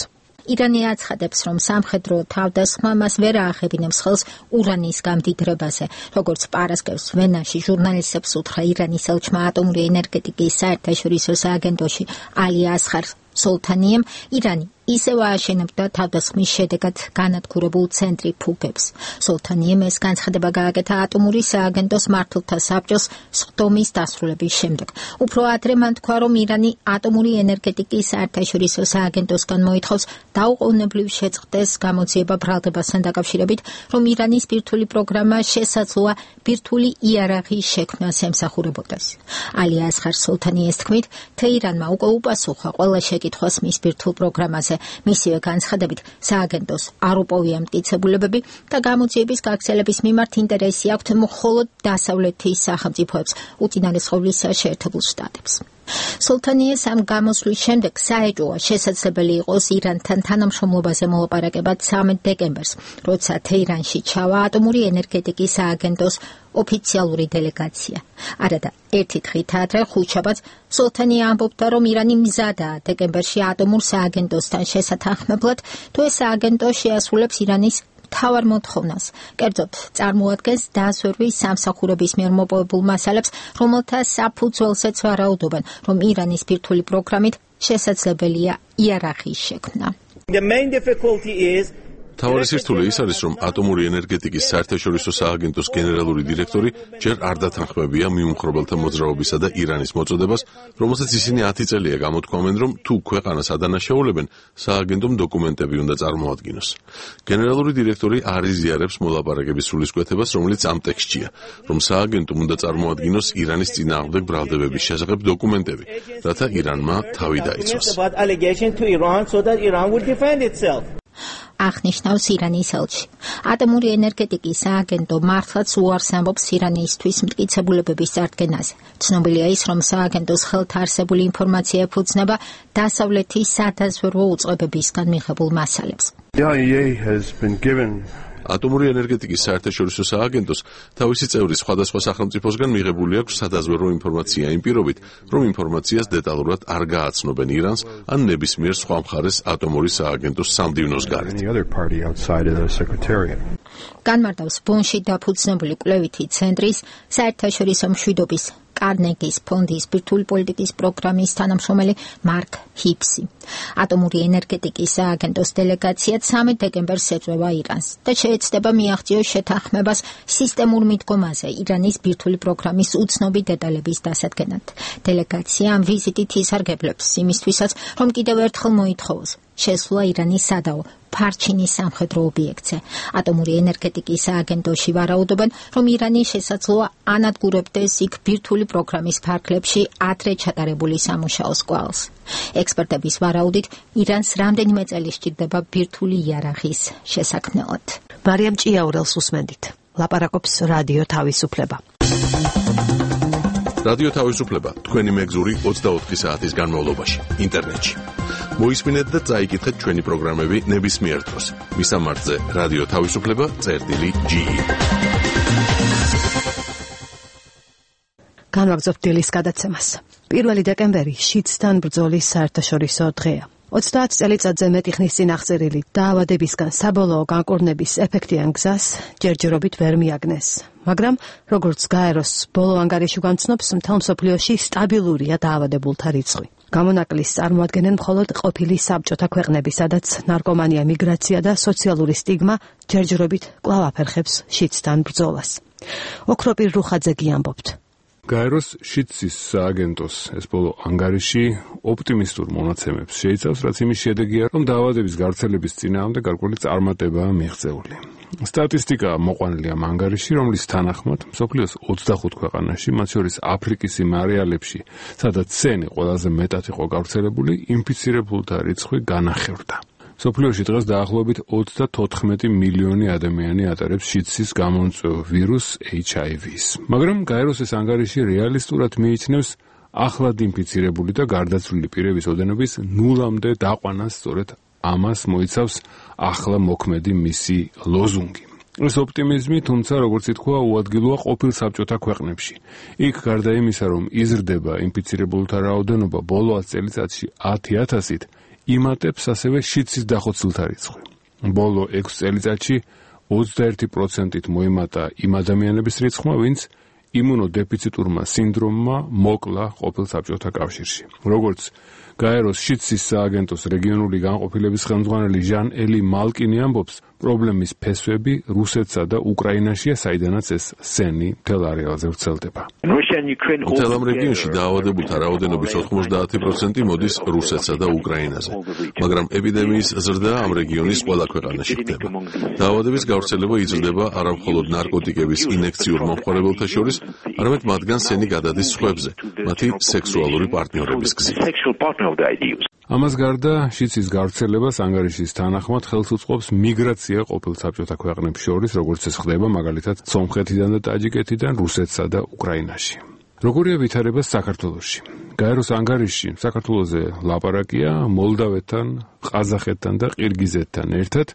ირანი აცხადებს, რომ სამხედრო თავდასხმა მას ვერ აახებინებს ხელს ურანის გამდიდრებაზე. როგორც პარასკევს ვენაში ჟურნალისტებს უთხრა ირანის ელჩმა ატომური ენერგეტიკის საერთაშორისო სააგენტოში ალი ასხარ სოლთანიემ, ირანი ისევ ააშენებდა თავდასხმის შედეგად განადგურებულ ცენტრიფუგებს. სოლთანიემ ეს განცხადება გააკეთა ატომური სააგენტოს მმართველთა საბჭოს სხდომის დასრულების შემდეგ. უფრო ადრე მან თქვა, რომ ირანი ატომური ენერგეტიკის საერთაშორისო სააგენტოსგან მოითხოვს დაუყოვნებლივ შეწყდეს გამოძიება ბრალდებასთან დაკავშირებით, რომ ირანის ბირთვული პროგრამა შესაძლოა ბირთვული იარაღის შექმნას ემსახურებოდეს. ალი ასხარ სოლთანიეს თქმით, თეირანმა უკვე უპასუხა ყველა შეკითხვას მის ბირთვულ პროგრამაზე. მისივე განცხადებით, სააგენტოს არ უპოვია მტკიცებულებები და გამოძიების გაგრძელების მიმართ ინტერესი აქვთ მხოლოდ დასავლეთის სახელმწიფოებს, უწინარესყოვლისა შეერთებულ შტატებს. სოლთანიეს ამ გამოსვლის შემდეგ საეჭვოა შესაძლებელი იყოს ირანთან თანამშრომლობაზე მოლაპარაკება 13 დეკემბერს, როცა თეირანში ჩავა ატომური ენერგეტიკის სააგენტოს ოფიციალური დელეგაცია. არადა ერთი დღით ადრე ხუთშაბათს სოლთანია ამბობდა, რომ ირანი მზადაა დეკემბერში ატომურ სააგენტოსთან შესათანხმებლად, თუ ეს სააგენტო შეასრულებს ირანის თავარ მოთხოვნას. კერძოდ, წარმოადგენს დაზვერვის სამსახურების მიერ მოპოვებულ მასალებს, რომელთა საფუძველზეც ვარაუდობენ, რომ ირანის ბირთვული პროგრამით შესაძლებელია იარაღის შექმნა. თავარი სირთულე ის არის, რომ ატომური ენერგეტიკის საერთაშორისო სააგენტოს გენერალური დირექტორი ჯერ არ დათანხმებია მიუმხრობელთა მოძრაობისა და ირანის მოწოდებას, რომელსაც ისინი 10 წელია გამოთქვამენ, რომ თუ ქვეყანას ადანაშაულებენ, სააგენტომ დოკუმენტები უნდა წარმოადგინოს. გენერალური დირექტორი არ იზიარებს მოლაპარაკების სულისკვეთებას, რომელიც ამ ტექსტშია, რომ სააგენტომ უნდა წარმოადგინოს ირანის წინააღმდეგ ბრალდებების შესახებ დოკუმენტები, რათა ირანმა თავი დაიცვას. აღნიშნავს ირანის ელჩი. ატომური ენერგეტიკის სააგენტო მართლაც უარს ამბობს ირანისთვის მტკიცებულებების წარდგენაზე. ცნობილია ის, რომ სააგენტოს ხელთ არსებული ინფორმაცია ეფუძნება დასავლეთის სადაზვერვო უწყებებისგან მიღებულ მასალებს. ატომური ენერგეტიკის საერთაშორისო სააგენტოს თავისი წევრი სხვადასხვა სახელმწიფოსგან მიღებული აქვს სადაზვერვო ინფორმაცია იმ პირობით, რომ ინფორმაციას დეტალურად არ გააცნობენ ირანს ან ნებისმიერ სხვა მხარეს ატომური სააგენტოს სამდივნოს გარეთ. განმარტავს ბონში დაფუძნებული კვლევითი ცენტრის საერთაშორისო მშვიდობის კარნეგის ფონდის ბირთვული პოლიტიკის პროგრამის თანამშრომელი მარკ ჰიპსი. ატომური ენერგეტიკის სააგენტოს დელეგაცია 13 დეკემბერს ეწევა ირანს და შეეცდება მიაღწიოს შეთანხმებას სისტემურ მიდგომაზე ირანის ბირთვული პროგრამის უცნობი დეტალების დასადგენად. დელეგაცია ამ ვიზიტით ისარგებლებს იმისთვისაც, რომ კიდევ ერთხელ მოითხოვოს შესვლა ირანის სადაო ფარჩინის სამხედრო ობიექტზე. ატომური ენერგეტიკის სააგენტოში ვარაუდობენ, რომ ირანი შესაძლოა ანადგურებდეს იქ ბირთვული პროგრამის ფარგლებში ადრე ჩატარებული სამუშაოს კვალს. ექსპერტების ვარაუდით, ირანს რამდენიმე წელი სჭირდება ბირთვული იარაღის შესაქმნელად. მარიამ ჭიაურელს უსმენდით. ლაპარაკობს რადიო თავისუფლება. რადიო თავისუფლება თქვენი მეგზური 24 საათის განმავლობაში ინტერნეტში. მოისმინეთ და წაიკითხეთ ჩვენი პროგრამები ნებისმიერ დროს. მისამართზე რადიო თავისუფლება.ge. განვაგრძობთ დილის გადაცემას. 1 დეკემბერი შიდსთან ბრძოლის საერთაშორისო დღეა. 30 წელიწადზე მეტი ხნის წინ აღწერილი დაავადებისგან საბოლოო განკურნების ეფექტიან გზას ჯერჯერობით ვერ მიაგნეს. მაგრამ როგორც გაეროს ბოლო ანგარიში განცნობს, მთელ მსოფლიოში სტაბილურია დაავადებულთა რიცხვი. გამონაკლისს წარმოადგენენ მხოლოდ ყოფილი საბჭოთა ქვეყნები, სადაც ნარკომანია, მიგრაცია და სოციალური სტიგმა ჯერჯერობით კვლავ აფერხებს შიდსთან ბრძოლას. ოქროპირ რუხაძეგი ამბობთ. გაეროს შიდსის სააგენტოს ეს ბოლო ანგარიში ოპტიმისტურ მონაცემებს შეიცავს, რაც იმის შედეგია, რომ დაავადების გავრცელების წინააღმდეგ გარკვეული წარმატებაა მიღწეული. სტატისტიკა მოყვანილი ამ ანგარიში, რომლის თანახმად მსოფლიოს 25 ქვეყანაში, მათ შორის აფრიკის იმ არეალებში, სადაც სენი ყველაზე მეტად იყო გავრცელებული, ინფიცირებულთა რიცხვი განახევრდა. მსოფლიოში დღეს დაახლოებით 34 მილიონი ადამიანი ატარებს შიდსის გამომწვევ ვირუს HIV-ს. მაგრამ გაეროს ეს ანგარიში რეალისტურად მიიჩნევს ახლად ინფიცირებული და გარდაცვლილი პირების ოდენობის ნულამდე დაყვანას. სწორედ ამას მოიცავს ახლა მოქმედი მისი ლოზუნგი. ეს ოპტიმიზმი, თუმცა, როგორც ითქვა, უადგილოა ყოფილ საბჭოთა ქვეყნებში. იქ გარდა იმისა, რომ იზრდება ინფიცირებულთა რაოდენობა ბოლო 10 წელიწადში 10,000-ით, იმატებს ასევე შიდსის დახოცილთა რიცხვი. ბოლო 6 წელიწადში 21%-ით მოიმატა იმ ადამიანების რიცხვმა, ვინც იმუნოდეფიციტურმა სინდრომმა მოკლა ყოფილ საბჭოთა კავშირში. როგორც გაეროს შიდსის სააგენტოს რეგიონული განყოფილების ხელმძღვანელი ჟან-ელი მალკინი ამბობს, პრობლემის ფესვები რუსეთსა და უკრაინაშია, საიდანაც ეს სენი მთელ არეალზე ვრცელდება. მთელ ამ რეგიონში დაავადებულთა რაოდენობის 90% მოდის რუსეთსა და უკრაინაზე, მაგრამ ეპიდემიის ზრდა ამ რეგიონის ყველა ქვეყანაში ხდება. დაავადების გავრცელება იზრდება არა მხოლოდ ნარკოტიკების ინექციურ მომხმარებელთა შორის, არამედ მათგან სენი გადადის სხვებზე, მათი სექსუალური პარტნიორების გზით. ამას გარდა, შიდსის გავრცელებას ანგარიშის თანახმად ხელს უწყობს მიგრაცია ყოფილ საბჭოთა ქვეყნებს შორის, როგორც ეს ხდება მაგალითად სომხეთიდან და ტაჯიკეთიდან რუსეთსა და უკრაინაში. როგორია ვითარება საქართველოში? გაეროს ანგარიშში საქართველოზე ლაპარაკია მოლდავეთთან, ყაზახეთთან და ყირგიზეთთან ერთად,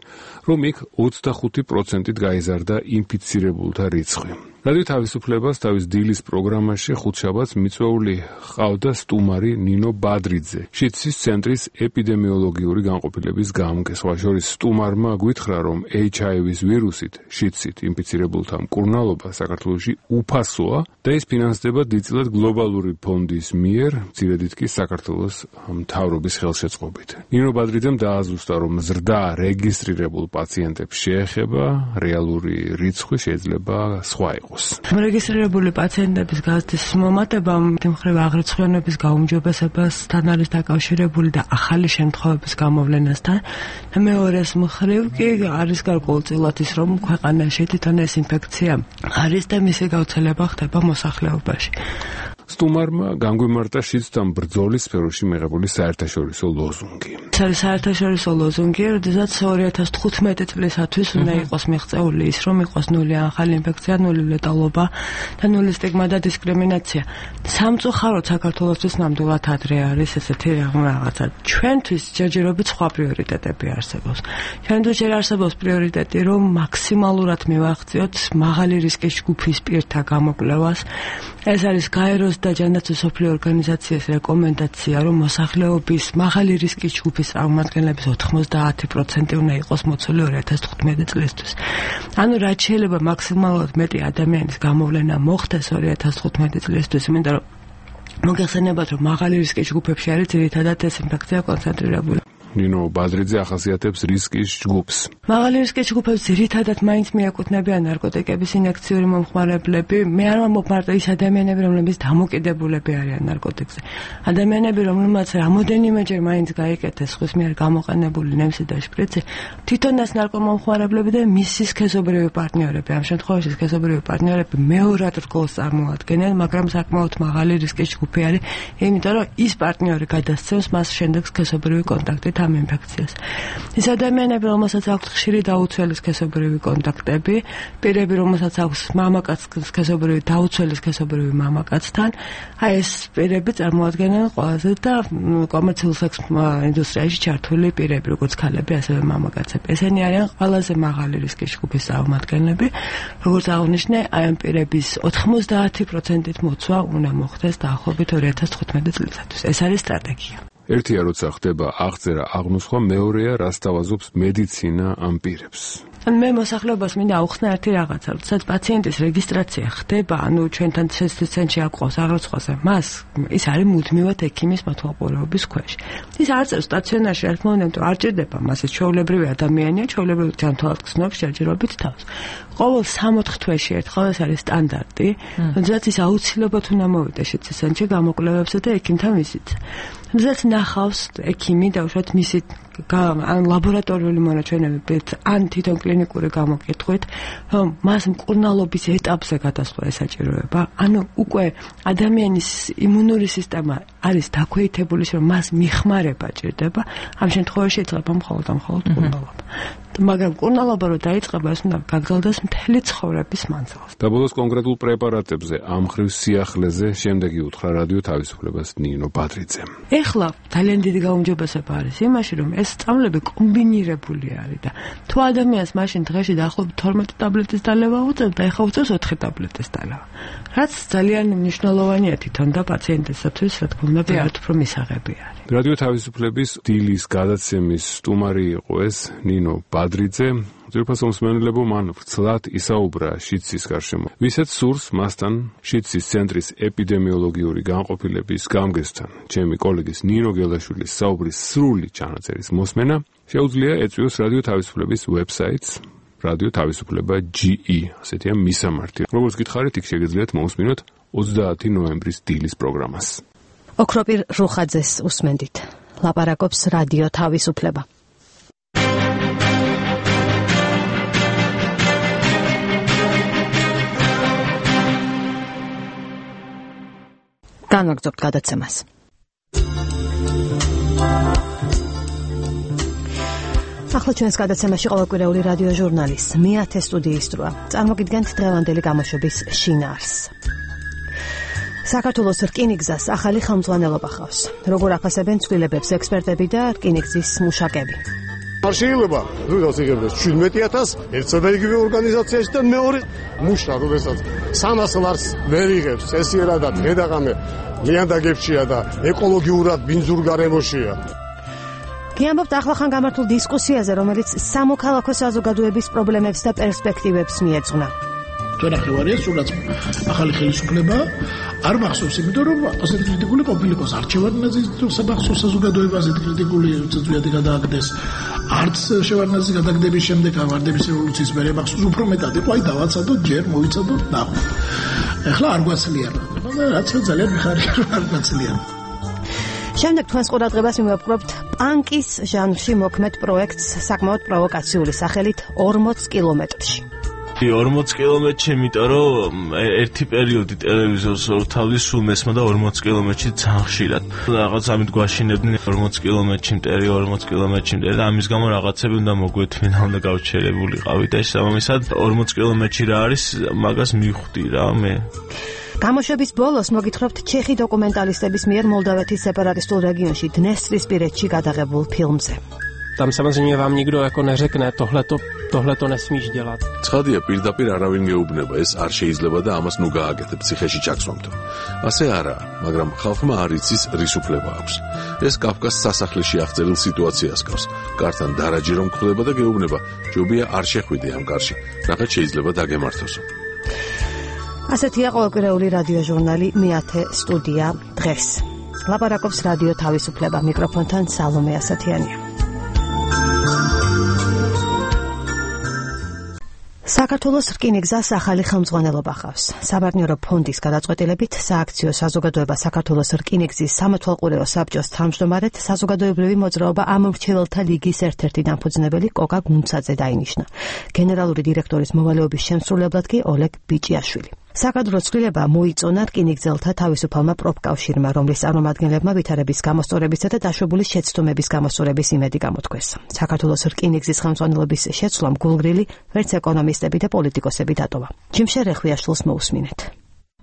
რომ იქ 25%-ით გაიზარდა ინფიცირებულთა რიცხვი. რადიო თავისუფლებას თავის დილის პროგრამაში ხუთშაბათს მიწვეული ჰყავდა სტუმარი ნინო ბადრიძე, შიდსის ცენტრის ეპიდემიოლოგიური განყოფილების გამგე. სხვა შორის სტუმარმა გვითხრა, რომ HIV-ის ვირუსით, შიდსით ინფიცირებულთა მკურნალობა საქართველოში უფასოა და ის ფინანსდება დიდწილად გლობალური ფონდის მიერ, მცირედით კი საქართველოს მთავრობის ხელშეწყობით. ნინო ბადრიძემ დააზუსტა, რომ ზრდა რეგისტრირებულ პაციენტებს შეეხება, რეალური რიცხვი შეიძლება სხვა იყოს. რეგისტრირებული პაციენტების გაზრდის მომატებამ თემხრევ აღრიცხვიანობის გაუმჯობესებასთან არის დაკავშირებული და ახალი შემთხვევების გამოვლენასთან. მეორეს მხრივ კი არის გარკვეულწილად ის, რომ ქვეყანაში თვითონ ეს ინფექცია არის და მისი გავრცელება ხდება მოსახლეობაში. სტუმარმა განგვიმარტა შიდსთან ბრძოლის სფეროში მიღებული საერთაშორისო ლოზუნგი. საერთაშორისო ლოზუნგი, როდესაც 2015 წლისათვის უნდა იყოს მიღწეული ის, რომ იყოს ნული ახალი ინფექცია, ნული ლეტალობა და ნული სტიგმა და დისკრიმინაცია. სამწუხაროდ საქართველოსთვის ნამდვილად ადრე არის ესეთი რაღაცა. ჩვენთვის ჯერჯერობით სხვა პრიორიტეტები არსებობს. ჩვენთვის ჯერ არსებობს პრიორიტეტი, რომ მაქსიმალურად მივახციოთ მაღალი რისკის ჯგუფის პირთა გამოკვლევას. ეს არის გაეროს და ჯანდაცვის მსოფლიო ორგანიზაციის რეკომენდაცია, რომ მოსახლეობის მაღალი რისკის ჯგუფის წარმომადგენლების 90% უნდა იყოს მოცული 2015 წლისთვის. ანუ რაც შეიძლება მაქსიმალურად მეტი ადამიანის გამოვლენა მოხდეს 2015 წლისთვის, იმიტომ რომ მოგეხსენებათ, რომ მაღალი რისკის ჯგუფებში არის ძირითადად ეს ინფექცია კონცენტრირებული. ნინო ბადრიძე ახასიათებს რისკის ჯგუფს. მაღალი რისკის ჯგუფებს ძირითადად მაინც მიაკუთვნებიან ნარკოტიკების ინექციური მომხმარებლები. მე არ ვამბობ მარტო ის ადამიანები, რომლებიც დამოკიდებულები არიან ნარკოტიკზე. ადამიანები, რომლებმაც რამოდენიმეჯერ მაინც გაიკეთეს ხვის მიერ გამოყენებული ნემსი და შპრიცი, თვითონ ეს ნარკომომხმარებლები და მისი სქესობრივი პარტნიორები. ამ შემთხვევაში სქესობრივი პარტნიორები მეორად რგოლს წარმოადგენენ, მაგრამ საკმაოდ მაღალი რისკის ჯგუფი არის, იმიტომ რომ ის პარტნიორი გადასცემს მას შემდეგ სქესობრივი კონტაქტით ამ ინფექციას. ის ადამიანები, რომელსაც აქვს ხშირი დაუცველი სქესობრივი კონტაქტები, პირები, რომელსაც აქვს მამაკაც სქესობრივი დაუცველი სქესობრივი მამაკაცთან, აი ეს პირები წარმოადგენენ ყველაზე და კომერციულ სექს ინდუსტრიაში ჩართული პირები, როგორც ქალები, ასევე მამაკაცები. ესენი არიან ყველაზე მაღალი რისკის ჯგუფის წარმომადგენლები. როგორც აღნიშნე, აი ამ პირების 90%-ით მოცვა უნდა მოხდეს დაახლოებით 2015 წლისათვის. ეს არის სტრატეგია. ერთია, როცა ხდება აღწერა აღმოსხვა, მეორეა, რას თავაზობს მედიცინა ამ პირებს. მე მოსახლეობას მინდა აუხსნა ერთი რაღაცა, როდესაც პაციენტის რეგისტრაცია ხდება, ანუ ჩვენთან შიდსის ცენტრში აკვავს აღრიცხვაზე, მას ის არის მუდმივად ექიმის მეთვალყურეობის ქვეშ. ის არ წერს სტაციონარში, რა თქმა უნდა, არ ჭირდება მას, ეს ჩვეულებრივი ადამიანია, ჩვეულებრივი ჯანმრთელად გრძნობს ჯერჯერობით თავს. ყოველ 3-4 თვეში ერთხელ ეს არის სტანდარტი, როდესაც ის აუცილებლად უნდა მოვიდეს შიდსის ცენტრში გამოკვლევებზე და ექიმთან ვიზიტზე. როდესაც ნახავს ექიმი და უშუალოდ მისი ან ლაბორატორიული მონაჩვენებებით, ან თვითონ კლინიკური გამოკითხვით, რომ მას მკურნალობის ეტაპზე გადასვლა ესაჭიროება, ანუ უკვე ადამიანის იმუნური სისტემა არის დაქვეითებული, რომ მას მიხმარება ჭირდება, ამ შემთხვევაში იწება მხოლოდ მკურნალობა. მაგრამ კურნალობა რო დაიწყება, ეს უნდა გაგრძელდეს მთელი ცხოვრების მანძილზე. და ბოლოს კონკრეტულ პრეპარატებზე, ამ ხრივ სიახლეზე შემდეგი უთხრა რადიო თავისუფლებას ნინო ბადრიძემ. ეხლა ძალიან დიდი გაუმჯობესება არის იმაში, რომ ეს სწავლები კომბინირებული არის და თუ ადამიანს მაშინ დღეში დაახლოებით 12 ტაბლეტის დალევა უწევდა, ეხლა უწევს 4 ტაბლეტის დალევა. რაც ძალიან მნიშვნელოვანია თვითონ და პაციენტისათვის, რა თქმა უნდა, ერთ უფრო მისაღები არის. რადიო თავისუფლების დილის გადაცემის სტუმარი იყო ეს ნინო ბადრიძე. ძირფას მსმენელებო მან ვრცლად ისაუბრა შიდსის გარშემო. ვისაც სურს მასთან შიდსის ცენტრის ეპიდემიოლოგიური განყოფილების გამგესთან, ჩემი კოლეგის ნინო გელაშვილის საუბრის სრული ჩანაწერის მოსმენა, შეუძლია ეწვიოს რადიო თავისუფლების ვებსაიტს რადიო თავისუფლება.ge, ასეთია მისამართი. როგორც გითხარით, იქ შეგეძლიათ მოусმინოთ 30 ნოემბრის დილის პროგრამას. ოქროპირ რუხაძეს უსმენდით. ლაპარაკობს რადიო თავისუფლება. განვაგრძობთ გადაცემას. ახლა ჩვენს გადაცემაში ყოველკვირეული რადიო ჟურნალის მეათე სტუდიის დროა. წარმოგიდგენთ დღევანდელი გამოშვების შინაარსს. საქართველოს რკინიგზას ახალი ხელმძღვანელობა ხავს. როგორ აფასებენ ცვლილებებს ექსპერტები და რკინიგზის მუშაკები? არ შეიძლება როდესაც იღებდეს 17,000 ერთსა და იგივე ორგანიზაციაში და მეორე მუშა როდესაც 300 ლარს ვერ იღებს, ესიერადად ღედაღამე ლიანდაგებშია და ეკოლოგიურად ბინძურ გარემოშია. გიამბობთ ახლახან გამართულ დისკუსიაზე, რომელიც სამოქალაქო საზოგადოების პრობლემებს და პერსპექტივებს მიეძღვნა. ჩვენ ახევარია სულაც ახალი ხელისუფლება არ მახსოვს, იმიტომ რომ ასეთი კრიტიკული ყოფილიყოს არჩევანაზე საბახსოვს საზოგადოებაზე კრიტიკული წვიადი გადააგდეს. არც შევარდნაძის გადაგდების შემდეგ ვარდების რევოლუციის მერე მახსოვს უფრო მეტად იყო, აი დავაცადოთ ჯერ მოვიცადოთ ნახოთ. ეხლა არ გვაცლიან. რაც ძალიან მიხარია რომ არ გვაცლიან. შემდეგ თქვენს ყურადღებას მივაპყრობთ პანკის ჟანრში მოქმედ პროექტს საკმაოდ პროვოკაციული სახელით 40 კილომეტრში. 40 კილომეტრში, იმიტომ რომ ერთი პერიოდი ტელევიზორს თავის სულ მესმა და 40 კილომეტრში ძალიან ხშირად. რაღაც ამით გვაშინებდნენ 40 კილომეტრში მტერი, 40 კილომეტრში მტერი და ამის გამო რაღაცები უნდა მოგვეთმინა, უნდა გავჩერებულიყავი და შესაბამისად 40 კილომეტრში რა არის, მაგას მივხვდი რა მე. გამოშვების ბოლოს მოგითხრობთ ჩეხი დოკუმენტალისტების მიერ მოლდავეთის სეპარატისტულ რეგიონში Dnestrისპირეთში გადაღებულ ფილმზე. Tam samozřejmě vám nikdo jako neřekne, tohleto nesmíš dělat. ცხადია, პირდაპირ არავინ გეუბნება, ეს არ შეიძლება და ამას ნუ გააკეთებ ციხეში ჩაქსვამთო. ასე არაა, მაგრამ ხალხმა არ იცის რის უფლება აქვს. ეს კაფკას სასახლეში აღწერილ სიტუაციას გავს. კართან დარაჯი რომ გხვდება და გეუბნება, ჯობია არ შეხვიდე ამ კარში, რაღაც შეიძლება დაგემართოსო. ასეთია ყოველკვირეული რადიო ჟურნალი მეათე სტუდია დღეს. ლაპარაკობს რადიო თავისუფლება, მიკროფონთან სალომე ასათიანია. საქართველოს რკინიგზას ახალი ხელმძღვანელობა ხავს. საბარნიორო ფონდის გადაწყვეტილებით სააქციო საზოგადოება საქართველოს რკინიგზის სამეთვალყურეო საბჭოს თავმჯდომარედ საზოგადოებრივი მოძრაობა ამომრჩეველთა ლიგის ერთ-ერთი დამფუძნებელი კოკა გუნცაძე დაინიშნა. გენერალური დირექტორის მოვალეობის შემსრულებლად კი ოლეგ ბიჭიაშვილი. საკადრო ცვლილება მოიწონა რკინიგზელთა თავისუფალმა პროფკავშირმა, რომლის წარმომადგენლებმა ვითარების გამოსწორებისა და დაშვებულის შეცდომების გამოსწორების იმედი გამოთქვეს. საქართველოს რკინიგზის ხელმძღვანელობის შეცვლამ გულგრილი ვერც ეკონომისტები და პოლიტიკოსები დატოვა. ჯიმშე რეხვიაშვილს მოусმინეთ.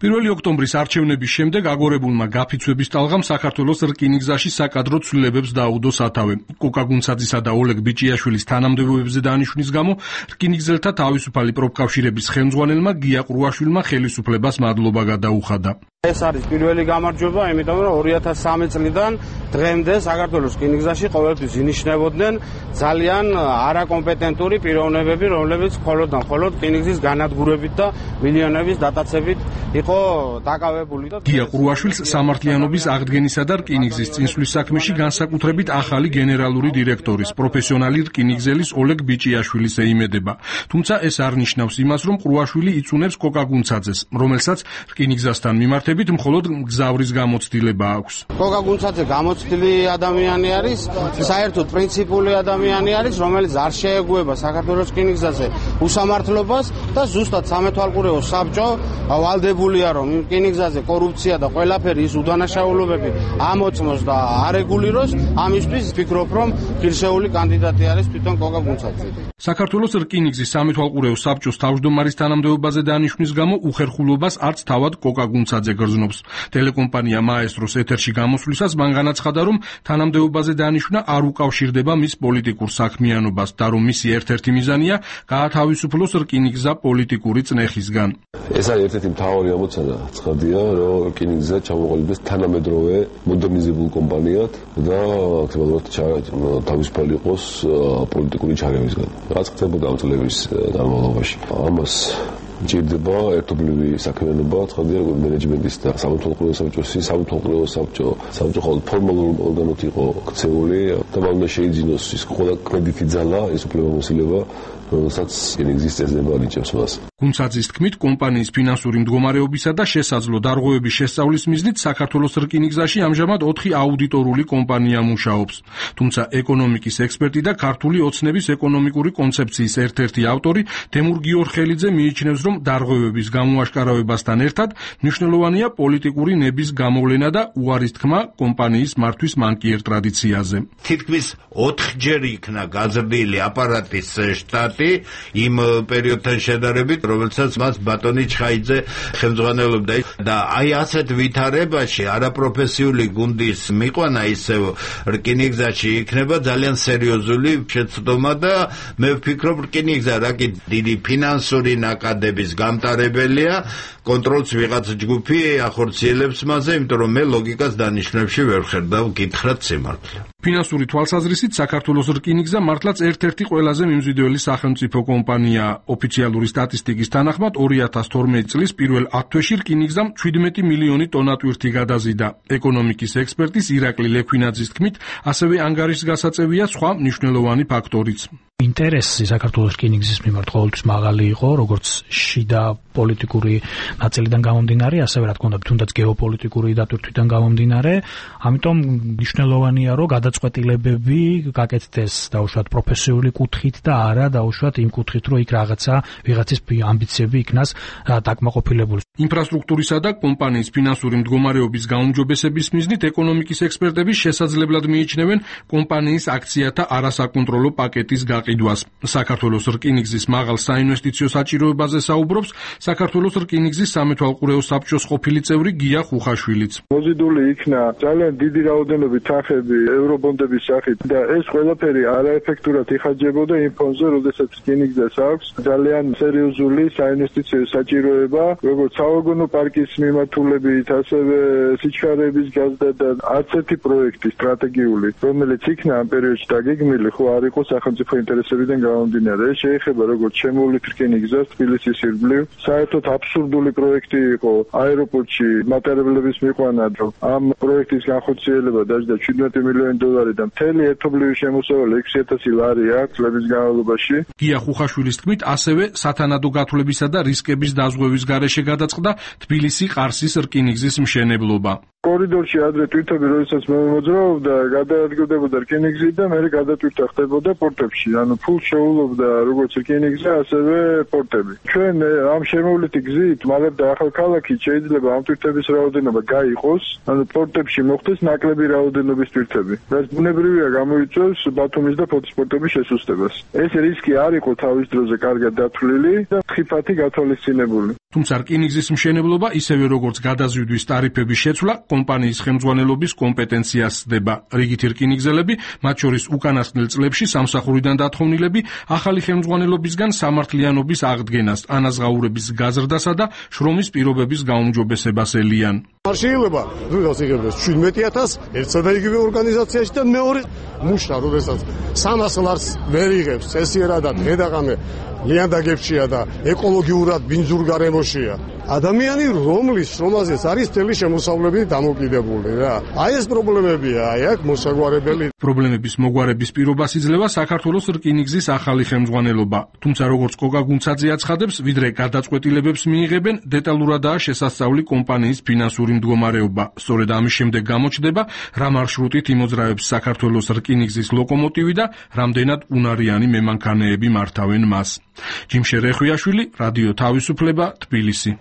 1 ოქტომბრის არჩევნების შემდეგ აგორებულმა გაფიცვების ტალღამ საქართველოს რკინიგზაში საკადრო ცვლილებებს დაუდო სათავე. კოკა გუნცაძისა და ოლეგ ბიჭიაშვილის თანამდებობებზე დანიშვნის გამო რკინიგზელთა თავისუფალი პროფკავშირების ხელმძღვანელმა გია ყრუაშვილმა ხელისუფლებას მადლობა გადაუხადა. ეს არის პირველი გამარჯვება, იმიტომ რომ 2003 წლიდან დღემდე საქართველოს რკინიგზაში ყოველთვის ინიშნებოდნენ ძალიან არაკომპეტენტური პიროვნებები, რომლებიც მხოლოდ რკინიგზის განადგურებით და მილიონების დატაცებით იყო დაკავებული და გია ყრუაშვილს სამართლიანობის აღდგენისა და რკინიგზის წინსვლის საქმეში განსაკუთრებით ახალი გენერალური დირექტორის, პროფესიონალი რკინიგზელის ოლეგ ბიჭიაშვილის ეიმედება. თუმცა ეს არ ნიშნავს იმას, რომ ყრუაშვილი იწუნებს კოკა გუნცაძეს, რომელსაც რკინიგზასთან მიმართებით მიხედვით მხოლოდ მგზავრის გამოცდილება აქვს. კოკა გუნცაძე გამოცდილი ადამიანი არის, საერთოდ პრინციპული ადამიანი არის, რომელიც არ შეეგუება საქართველოს რკინიგზაზე უსამართლობას და ზუსტად სამეთვალყურეო საბჭო ვალდებულია, რომ რკინიგზაზე კორუფცია და ყველაფერი ის უდანაშაულობები ამოწმოს და არეგულიროს. ამისთვის ვფიქრობ, რომ ღირსეული კანდიდატი არის თვითონ კოკა გუნცაძე. საქართველოს რკინიგზის სამეთვალყურეო საბჭოს თავმჯდომარის თანამდებობაზე დანიშვნის გამო უხერხულობას არც თავად კოკა გუნცაძე გრძნობს. ტელეკომპანია მაესტროს ეთერში გამოსვლისას მან განაცხადა, რომ თანამდებობაზე დანიშვნა არ უკავშირდება მის პოლიტიკურ საქმიანობას და რომ მისი ერთ-ერთი მიზანია გაათავისუფლოს რკინიგზა პოლიტიკური წნეხისგან. ეს არის ერთ-ერთი მთავარი ამოცანა, ცხადია, რომ რკინიგზა ჩამოყალიბდეს თანამედროვე მოდერნიზებულ კომპანიად და აქტიურად თავისუფალი იყოს პოლიტიკური ჩარევისგან. რაც ხდებოდა ამ წლების განმავლობაში. ამას ჭირდება ერთობლივი საქმიანობა, ცხადია, როგორც მენეჯმენტის და სამეთვალყურეო საბჭოს, სამეთვალყურეო საბჭო ხოლმე ფორმალურ ორგანოთ იყო ქცეული და მან უნდა შეიძინოს ის ყველა კრედიტი ძალა, ის უფლებამოსილება, რომელსაც რკინიგზის წესდება ანიჭებს მას. გუნცაძის თქმით, კომპანიის ფინანსური მდგომარეობისა და შესაძლო დარღვევების შესწავლის მიზნით საქართველოს რკინიგზაში ამჟამად 4 აუდიტორული კომპანია მუშაობს. თუმცა ეკონომიკის ექსპერტი და ქართული ოცნების ეკონომიკური კონცეფციის ერთ-ერთი ავტორი თემურ გიორხელიძე მიიჩნევს, რომ დარღვევების გამოაშკარავებასთან ერთად მნიშვნელოვანია პოლიტიკური ნების გამოვლენა და უარის თქმა კომპანიის მართვის მანკიერ ტრადიციაზე. თითქმის 4-ჯერ იქნა გაზრდილი აპარატის შტატი იმ პერიოდთან შედარებით, რომელსაც მას ბატონი ჩხაიძე ხელმძღვანელობდა და აი ასეთ ვითარებაში არაპროფესიული გუნდის მიყვანა ისევ რკინიგზაში იქნება ძალიან სერიოზული შეცდომა და მე ვფიქრობ, რკინიგზა რაკი დიდი ფინანსური ნაკადების გამტარებელია, კონტროლს ვიღაც ჯგუფი ახორციელებს მასზე, იმიტომ რომ მე ლოგიკას დანიშნებში ვერ ვხედავ გითხრათ სიმართლე. ფინანსური თვალსაზრისით საქართველოს რკინიგზა მართლაც ერთ-ერთი ყველაზე მიმზიდველი სახელმწიფო კომპანია. ოფიციალური სტატისტიკის თანახმად 2012 წლის პირველ 10 თვეში რკინიგზამ 17 მილიონი ტონა ტვირთი გადაზიდა. ეკონომიკის ექსპერტის ირაკლი ლექვინაძის თქმით, ასევე ანგარიშგასაწევია სხვა მნიშვნელოვანი ფაქტორიც. ინტერესი საქართველოს რკინიგზის მიმართ ყოველთვის მაღალი იყო, როგორც შიდა პოლიტიკური ნაწილიდან გამომდინარე, ასევე რა თქმა უნდა, თუნდაც გეოპოლიტიკური დატვირთვიდან გამომდინარე, ამიტომ მნიშვნელოვანია, რომ გადაწყვეტილებები გაკეთდეს დაუშვათ პროფესიული კუთხით და არა დაუშვათ იმ კუთხით, რომ იქ ვიღაცის ამბიციები იქნას დაკმაყოფილებული. ინფრასტრუქტურისა და კომპანიის ფინანსური მდგომარეობის გაუმჯობესების მიზნით ეკონომიკის ექსპერტები შესაძლებლად მიიჩნევენ კომპანიის აქციათა არასაკონტროლო პაკეტის გაყიდვას. საქართველოს რკინიგზის მაღალ საინვესტიციო საჭიროებაზე საუბრობს საქართველოს რკინიგზის სამეთვალყურეო საბჭოს ყოფილი წევრი გია ხუხაშვილიც. მოზიდული იქნა ძალიან დიდი რაოდენობით თანხები ევრობონდების სახით და ეს ყველაფერი არაეფექტურად იხარჯებოდა იმ ფონზე, როდესაც რკინიგზას აქვს ძალიან სერიოზული საინვესტიციო საჭიროება, როგორც სავაგონო პარკის მიმართულებით, ასევე სიჩქარეების გაზდა და არც ერთი პროექტი სტრატეგიული, რომელიც იქნა ამ პერიოდში დაგეგმილი, ხო არ იყო სახელმწიფო ინტერესებიდან გამომდინარე. ეს შეეხება როგორც შემოვლით რკინიგზას თბილისის ირგვლივ, საერთოდ აბსურდული პროექტი იყო აეროპორტში მატარებლების მიყვანა, რომ ამ პროექტის განხორციელება დაჯდა 17 მილიონი დოლარი და მთელი ერთობლივი შემოსავალი 6,000 ლარი აქვს წლების განმავლობაში. გია ხუხაშვილის თქმით, ასევე სათანადო გათვლებისა და რისკების დაზღვევის გარეშე გადაწყდა თბილისი-ყარსის რკინიგზის მშენებლობა. კორიდორში ადრე თვითები, როდესაც მოძრაობდა, გადაადგილდებოდა რკინიგზი და მე გადატვირთა ხდებოდა პორტებში. ანუ ფულ შეულობდა როგორც რკინიგზა, ასევე პორტები. ჩვენ ამ შემოვლითი გზით მალებ და ახალქალაქი შეიძლება ამ თვითების რაოდენობა გაიყოს, ანუ პორტებში მოხდეს ნაკლები რაოდენობის თვითები. რაც ბუნებრივია გამოიწვევს ბათუმის და ფოთის პორტების შესუსტებას. ეს რისკი არ იყო თავის დროზე კარგად დათვლილი და ხიფათი გათვალისწინებული. თუმცა რკინიგზის მშენებლობა ისევე როგორც გადაზიდვის ტარიფების შეცვლა კომპანიის ხელმძღვანელობის კომპეტენციას ხდება. რიგითი რკინიგზელები, მათ შორის უკანასკნელ წლებში სამსახურიდან დათხოვნილები, ახალი ხელმძღვანელობისგან სამართლიანობის აღდგენას, ანაზღაურების გაზრდასა და შრომის პირობების გაუმჯობესებას ელიან. არ შეიძლება როდესაც იღებდეს 17000 ერთსა და იგივე ორგანიზაციაში და მეორე მუშა როდესაც 300 ლარს ვერ იღებს წესიერად და დღე-დაღამე ლიანდაგებშია და ეკოლოგიურად ბინძურ გარემოშია ადამიანი რომლის შრომაზეც არის მთელი შემოსავლები დამოკიდებული რა აი ეს პრობლემებია აი აქ მოსაგვარებელი პრობლემების მოგვარების პირობას იძლევა საქართველოს რკინიგზის ახალი ხელმძღვანელობა თუმცა როგორც კოკა გუნცაძე აცხადებს ვიდრე გადაწყვეტილებებს მიიღებენ დეტალურადაა შესასწავლი კომპანიის ფინანსური მდგომარეობა სწორედ ამის შემდეგ გამოჩნდება რა მარშრუტით იმოძრავებს საქართველოს რკინიგზის ლოკომოტივი და რამდენად უნარიანი მემანქანეები მართავენ მას ჯიმშე რეხვიაშვილი რადიო თავისუფლება თბილისი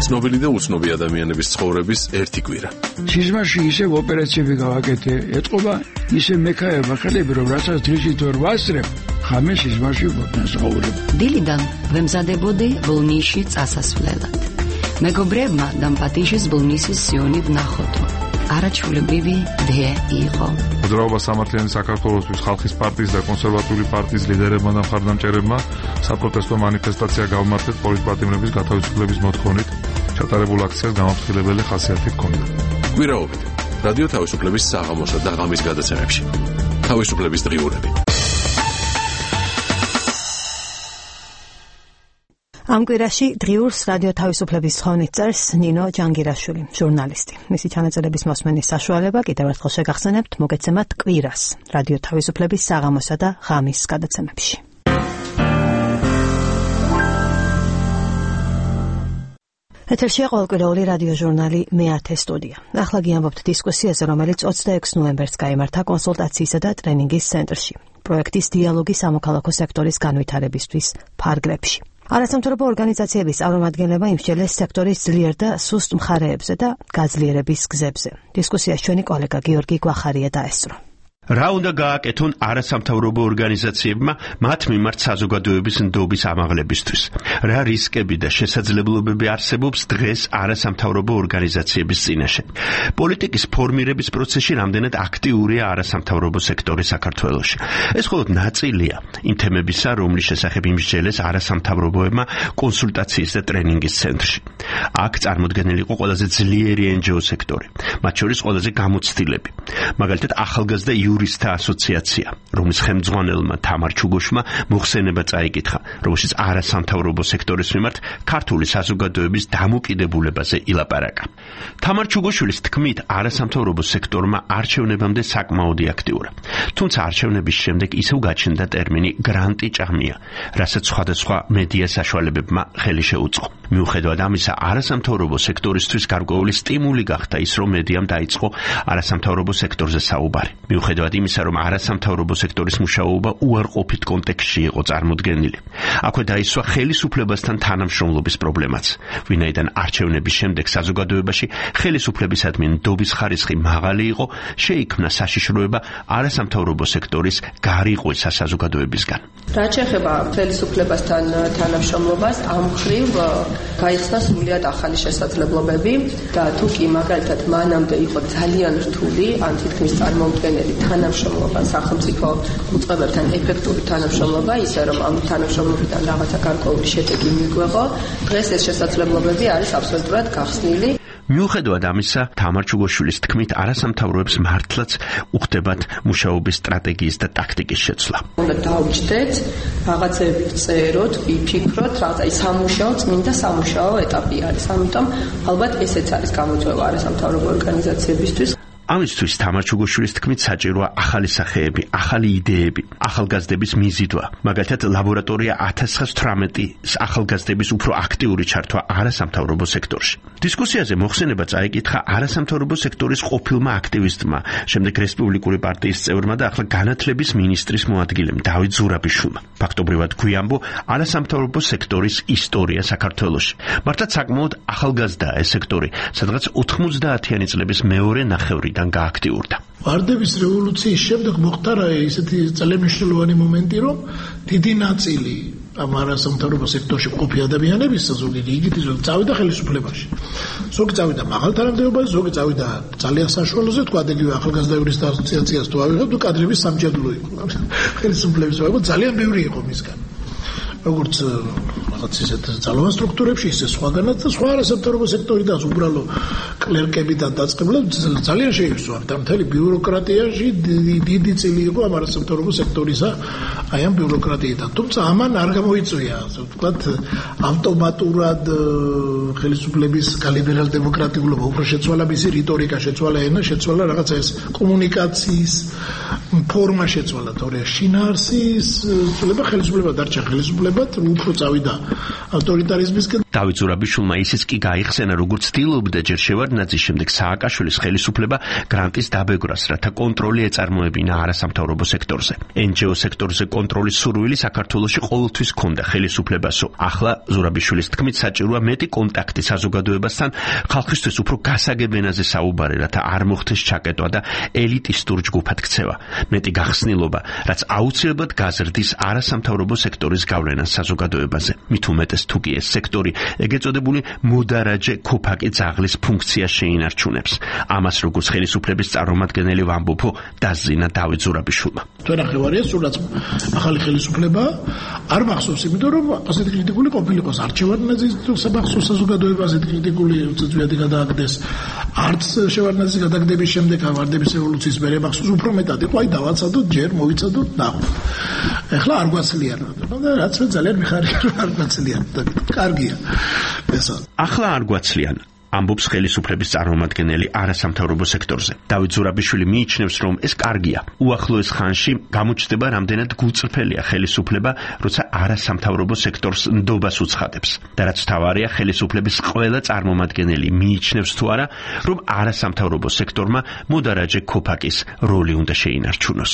ცნობილი და უცნობი ადამიანების ცხოვრების ერთი კვირა. სიზმარში ისევ ოპერაციები გავაკეთე, ეთყობა ისე მექაება ხელები, რომ რასაც დრიჟით ვერ ვასწრებ, ხამე სიზმარში ვფასაურებ. დილიდან ვემზადებოდი ბოლნისში წასასვლელად. მეგობრებმა დამპატიჟეს ბოლნისის სიონი ვნახოთ. არაჩვეულებრივი დე იყო. მოძრაობა სამართლიანი საქართველოსთვის ხალხის პარტიის და კონსერვატიული პარტიის ლიდერებმა და მხარდამჭერებმა საპროტესტო მანიფესტაცია გავმართეთ პოლიტპატიმრების გათავისუფლების მოთხოვნით. ჩატარებულ აქციას გამაფრთხილებელი ხასიათი ჰქონდა. კვირაობით რადიო თავისუფლების საღამოსა და ღამის გადაცემებში. თავისუფლების დღიურები. ამ კვირაში დღიურს რადიო თავისუფლების თხოვნით წერს ნინო ჯანგირაშვილი, ჟურნალისტი. მისი ჩანაწერების მოსმენის საშუალება კიდევ ერთხელ შეგახსენებთ მოგეცემათ კვირას რადიო თავისუფლების საღამოსა და ღამის გადაცემებში. ეთერშია ყოველკვირეული რადიო ჟურნალი მე-10 სტუდია. ახლა გიამბობთ დისკუსიაზე, რომელიც 26 ნოემბერს გაიმართა კონსულტაციისა და ტრენინგის ცენტრში, პროექტის დიალოგი სამოქალაქო სექტორის განვითარებისთვის ფარგლებში. არასამთავრობო ორგანიზაციების წარმომადგენლება იმსჯელეს სექტორის ძლიერ და სუსტ მხარეებზე და გაძლიერების გზებზე. დისკუსიას ჩვენი კოლეგა გიორგი გვახარია დაესწრო. რა უნდა გააკეთონ არასამთავრობო ორგანიზაციებმა მათ მიმართ საზოგადოების ნდობის ამაღლებისთვის? რა რისკები და შესაძლებლობები არსებობს დღეს არასამთავრობო ორგანიზაციების წინაშე? პოლიტიკის ფორმირების პროცესში რამდენად აქტიურია არასამთავრობო სექტორი საქართველოში? ეს მხოლოდ ნაწილია იმ თემებისა, რომლის შესახებ იმსჯელეს არასამთავრობოებმა კონსულტაციის და ტრენინგის ცენტრში. აქ წარმოდგენილი იყო ყველაზე ძლიერი NGO სექტორი, მათ შორის ყველაზე გამოცდილები. მაგალითად, ახალგაზრდა იურისტთა ასოციაცია, რომლის ხელმძღვანელმა თამარ ჩუგოშმა მოხსენება წაიკითხა, რომელშიც არასამთავრობო სექტორის მიმართ ქართული საზოგადოების დამოკიდებულებაზე ილაპარაკა. თამარ ჩუგოშვილის თქმით, არასამთავრობო სექტორმა არჩევნებამდე საკმაოდ აქტიურა. თუმცა არჩევნების შემდეგ ისევ გაჩნდა ტერმინი გრანტი ჭამია, რასაც სხვადასხვა მედია საშუალებებმა ხელი შეუწყო. მიუხედავად ამისა, არასამთავრობო სექტორისთვის გარკვეული სტიმული გახდა ის, რომ მედიამ დაიწყო არასამთავრობო სექტორზე საუბარი. მიუხედავად იმისა, რომ არასამთავრობო სექტორის მუშაობა უარყოფით კონტექსტში იყო წარმოდგენილი. აქვე დაისვა ხელისუფლებასთან თანამშრომლობის პრობლემაც. ვინაიდან არჩევნების შემდეგ საზოგადოებაში ხელისუფლებისადმი ნდობის ხარისხი მაღალი იყო, შეიქმნა საშიშროება არასამთავრობო სექტორის გარიყვისა საზოგადოებისგან. რაც შეეხება ხელისუფლებასთან თანამშრომლობას, ამ მხრივ გაიხსნა სრულიად ახალი შესაძლებლობები და თუ კი მაგალითად მანამდე იყო ძალიან რთული, ან თითქმის წარმოუდგენელი თანამშრომლობა სახელმწიფო უწყებებთან ეფექტური თანამშრომლობა, ისე რომ ამ თანამშრომლობიდან რაღაცა გარკვეული შედეგი მიგვეღო, დღეს ეს შესაძლებლობები არის აბსოლუტურად გახსნილი. მიუხედავად ამისა, თამარ ჩუგოშვილის თქმით, არასამთავროებს მართლაც უხდებათ მუშაობის სტრატეგიის და ტაქტიკის შეცვლა. უნდა დავჯდეთ, რაღაცები წეროთ, ვიფიქროთ, რაღაცა სამუშაო, წმინდა სამუშაო ეტაპი არის. ამიტომ ალბათ ესეც არის გამოწვევა არასამთავრობო ორგანიზაციებისთვის. ამისთვის თამარ ჩუგოშვილის თქმით საჭიროა ახალი სახეები, ახალი იდეები, ახალგაზრდების მიზიდვა. მაგალითად, ლაბორატორია 1918-ის ახალგაზრდების უფრო აქტიური ჩართვა არასამთავრობო სექტორში. დისკუსიაზე მოხსენება წაიკითხა არასამთავრობო სექტორის ყოფილმა აქტივისტმა, შემდეგ რესპუბლიკური პარტიის წევრმა და ახლა განათლების მინისტრის მოადგილემ დავით ზურაბიშვილმა. ფაქტობრივად გვიამბო არასამთავრობო სექტორის ისტორია საქართველოში. მართლაც საკმაოდ ახალგაზრდაა ეს სექტორი, სადღაც 90-იანი წლების მეორე ნახევრიდან გააქტიურდა. ვარდების რევოლუციის შემდეგ მოხდა ისეთი წელემშლოვანი მომენტი, რომ დიდი ნაწილი ამ არასამთავრობო სექტორში მყოფი ადამიანების ზოგი რიგითი ზოგი წავიდა ხელისუფლებაში. ზოგი წავიდა მაღალ თანამდებობაში, ზოგი წავიდა ძალიან საშუალოზე, თქვა იგივე ახალგაზრდა იურისტთა ასოციაციას თუ ავიღებ, თუ კადრების სამჭედლო იყო. ხელისუფლების ვაგო ძალიან ბევრი იყო მისგან. როგორც რაღაც ისეთ ძალოვან სტრუქტურებში, ისე სხვაგანაც და სხვა არასამთავრობო სექტორიდან უბრალო კლერკებიდან დაწყებულად ძალიან შეიცვალა. მთელი ბიუროკრატიაში დიდი წილი იყო ამ არასამთავრობო სექტორისა, აი ამ ბიუროკრატიიდან. თუმცა ამან არ გამოიწვია, ასე ვთქვათ, ავტომატურად ხელისუფლების გალიბერალ დემოკრატიულობა უფრო შეცვალა, მისი რიტორიკა შეცვალა, ენა შეცვალა, რაღაცა ეს კომუნიკაციის ფორმა შეცვალა, თორე შინაარსის ცვლილება ხელისუფლება დარჩა ხელისუფლებად, უფრო წავიდა ავტორიტარიზმისკენ. დავით ზურაბიშვილმა ისიც კი გაიხსენა, როგორც ცდილობდა ჯერ შევარდნაძის შემდეგ სააკაშვილის ხელისუფლება გრანტის დაბეგრას, რათა კონტროლი ეწარმოებინა არასამთავრობო სექტორზე. NGO სექტორზე კონტროლის სურვილი საქართველოში ყოველთვის ჰქონდა ხელისუფლებასო. ახლა ზურაბიშვილის თქმით საჭიროა მეტი კონტაქტი საზოგადოებასთან, ხალხისთვის უფრო გასაგებ ენაზე საუბარი, რათა არ მოხდეს ჩაკეტვა და ელიტისტურ ჯგუფად ქცევა. მეტი გახსნილობა, რაც აუცილებლად გაზრდის არასამთავრობო სექტორის გავლენას საზოგადოებაზე. მით უმეტეს თუ კი ეს სექტორი ეგეც წოდებული მუდარაჯე ქოფაკი ძაღლის ფუნქციას შეინარჩუნებს. ამას როგორც ხელისუფლების წარმომადგენელი ვამბობო დაზინა დავით ზურაბიშვილმა. თქვენ ახევარია სულაც ახალი ხელისუფლება არ მახსოვს, იმიტომ რომ ასეთი კრიტიკული ყოფილიყოს არჩევანაძის საბახსო საზოგადოებაზე კრიტიკული უწევიათი გადააგდეს. არც შევარდნაძის გადაგდების შემდეგ ვარდების რევოლუციის მერე მახსოვს უფრო მეტად იყო, აი დავაცადოთ ჯერ მოვიცადოთ ნახო. ეხლა არ გვაცლიანო და რაც მე ძალიან მიხარია რომ არ გვაცლიანო და კარგია ესა. ახლა არ გვაცლიან ამბობს ხელისუფლების წარმომადგენელი არასამთავრობო სექტორზე. დავით ზურაბიშვილი მიიჩნევს, რომ ეს კარგია. უახლოეს ხანში გამოჩნდება რამდენად გულწრფელია ხელისუფლება, როცა არასამთავრობო სექტორს ნდობას უცხადებს. და რაც მთავარია, ხელისუფლების ყველა წარმომადგენელი მიიჩნევს თუ არა, რომ არასამთავრობო სექტორმა მოდარაჯე ქოფაკის როლი უნდა შეინარჩუნოს.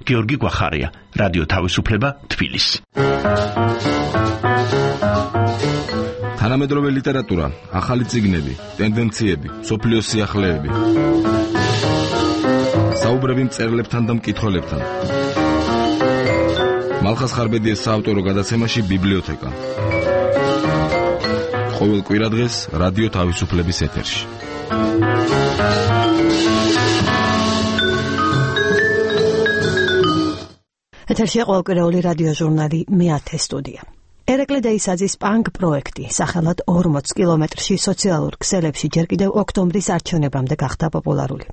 გიორგი გვახარია, რადიო თავისუფლება, თბილისი. თანამედროვე ლიტერატურა, ახალი წიგნები, ტენდენციები, სოფლიოს სიახლეები. საუბრები მწერლებთან და მკითხველებთან. მალხას ხარბედიეს საავტორო გადაცემაში ბიბლიოთეკა. ყოველ კვირადღეს რადიო თავისუფლების ეთერში. ეთერშია ყოველკვირეული რადიო ჟურნალი მე-10 სტუდია. ერეკლე დეისაძის პანკ პროექტი სახელად 40 კილომეტრში სოციალურ ქსელებში ჯერ კიდევ ოქტომბრის არჩევნებამდე გახდა პოპულარული.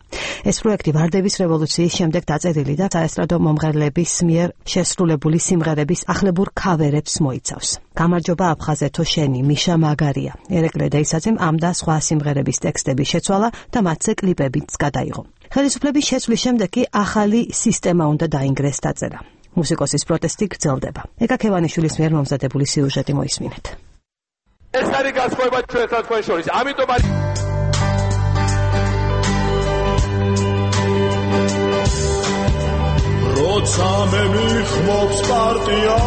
ეს პროექტი ვარდების რევოლუციის შემდეგ დაწერილი და საესტრადო მომღერლების მიერ შესრულებული სიმღერების ახლებურ ქავერებს მოიცავს. გამარჯობა აფხაზეთო შენი, მიშა მაგარია. ერეკლე დეისაძემ ამ და სხვა სიმღერების ტექსტები შეცვალა და მათზე კლიპებიც გადაიღო. ხელისუფლების შეცვლის შემდეგ კი ახალი სისტემა უნდა დაინგრეს დაწერა. მუსიკოსის პროტესტი გრძელდება. ეკა ქევანიშვილის მიერ მომზადებული სიუჟეტი მოისმინეთ. ეს არის განსხვავება ჩვენთან თქვენ შორის. ამიტომ არის როცა მე მიხმობს პარტია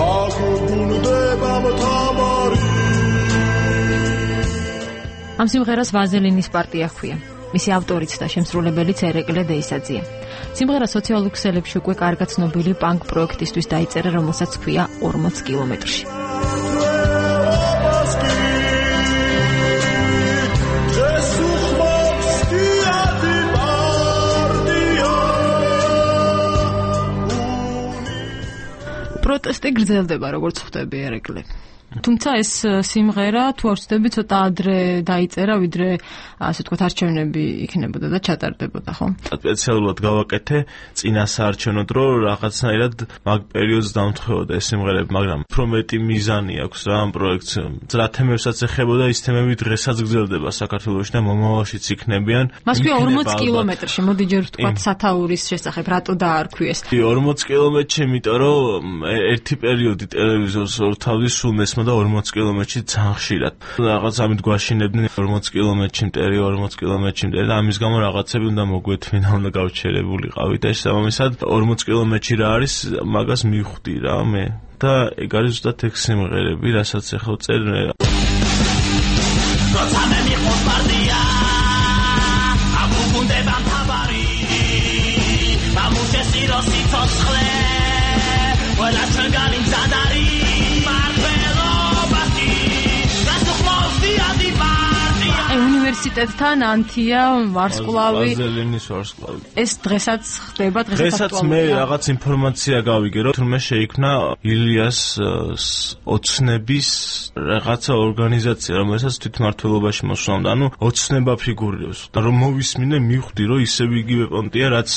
აგუნდება მთავარი. ამ სიმღერას ვაზელინის პარტია ჰქვია. მისი ავტორიც და შემსრულებელიც ერეკლე დეისაძეა. სიმღერა სოციალურ ქსელებში უკვე კარგად ცნობილი პანკ პროექტისთვის დაიწერა, რომელსაც ჰქვია 40 კილომეტრში. პროტესტი გრძელდება, როგორც ხვდები ერეკლე. თუმცა ეს სიმღერა თუ არ ვცდები ცოტა ადრე დაიწერა, ვიდრე ასე ვთქვათ არჩევნები იქნებოდა და ჩატარდებოდა, ხო? სპეციალურად გავაკეთე წინა საარჩევნო დრო, რაღაცნაირად მაგ პერიოდს დამთხეოდა ეს სიმღერები, მაგრამ უფრო მეტი მიზანი აქვს რა ამ პროექტს. რა თემებსაც ეხებოდა, ის თემები დღესაც გრძელდება საქართველოში და მომავალშიც იქნებიან. მას ქვია 40 კილომეტრში, მოდი ჯერ ვთქვათ სათაურის შესახებ, რატო დაარქვიეს? 40 კილომეტრში, იმიტომ რომ ერთი პერიოდი ტელევიზორს ორთავის სულ მესმა და 40 კილომეტრში ძალიან ხშირად. რაღაც ამით გვაშინებდნენ 40 კილომეტრში მტერი, 40 კილომეტრში მტერი და ამის გამო რაღაცები უნდა მოგვეთვინა, უნდა გავჩერებულიყავით და შესაბამისად 40 კილომეტრში რა არის, მაგას მივხვდი რა მე. და ეგ არის ზუსტად ეგ სიმღერები, რასაც ახლა წერ მე. როცა მე მიყავს პარტია, აგუნდება მთავარი. მამუშეს იროსი ცოცხლე, ყველა ჩვენ განიმზადარი. უნივერსიტეტთან ანთია ვარსკვლავი ვაზელინის ვარსკვლავი ეს დღესაც ხდება დღესაც მე რაღაც ინფორმაცია გავიგე რომ თურმე შეიქმნა ილიას ოცნების რაღაცა ორგანიზაცია რომელსაც თვითმმართველობაში მოსვლამდე ანუ ოცნება ფიგურირებს რომ მოვისმინე მივხვდი რომ ისევ იგივე პონტია რაც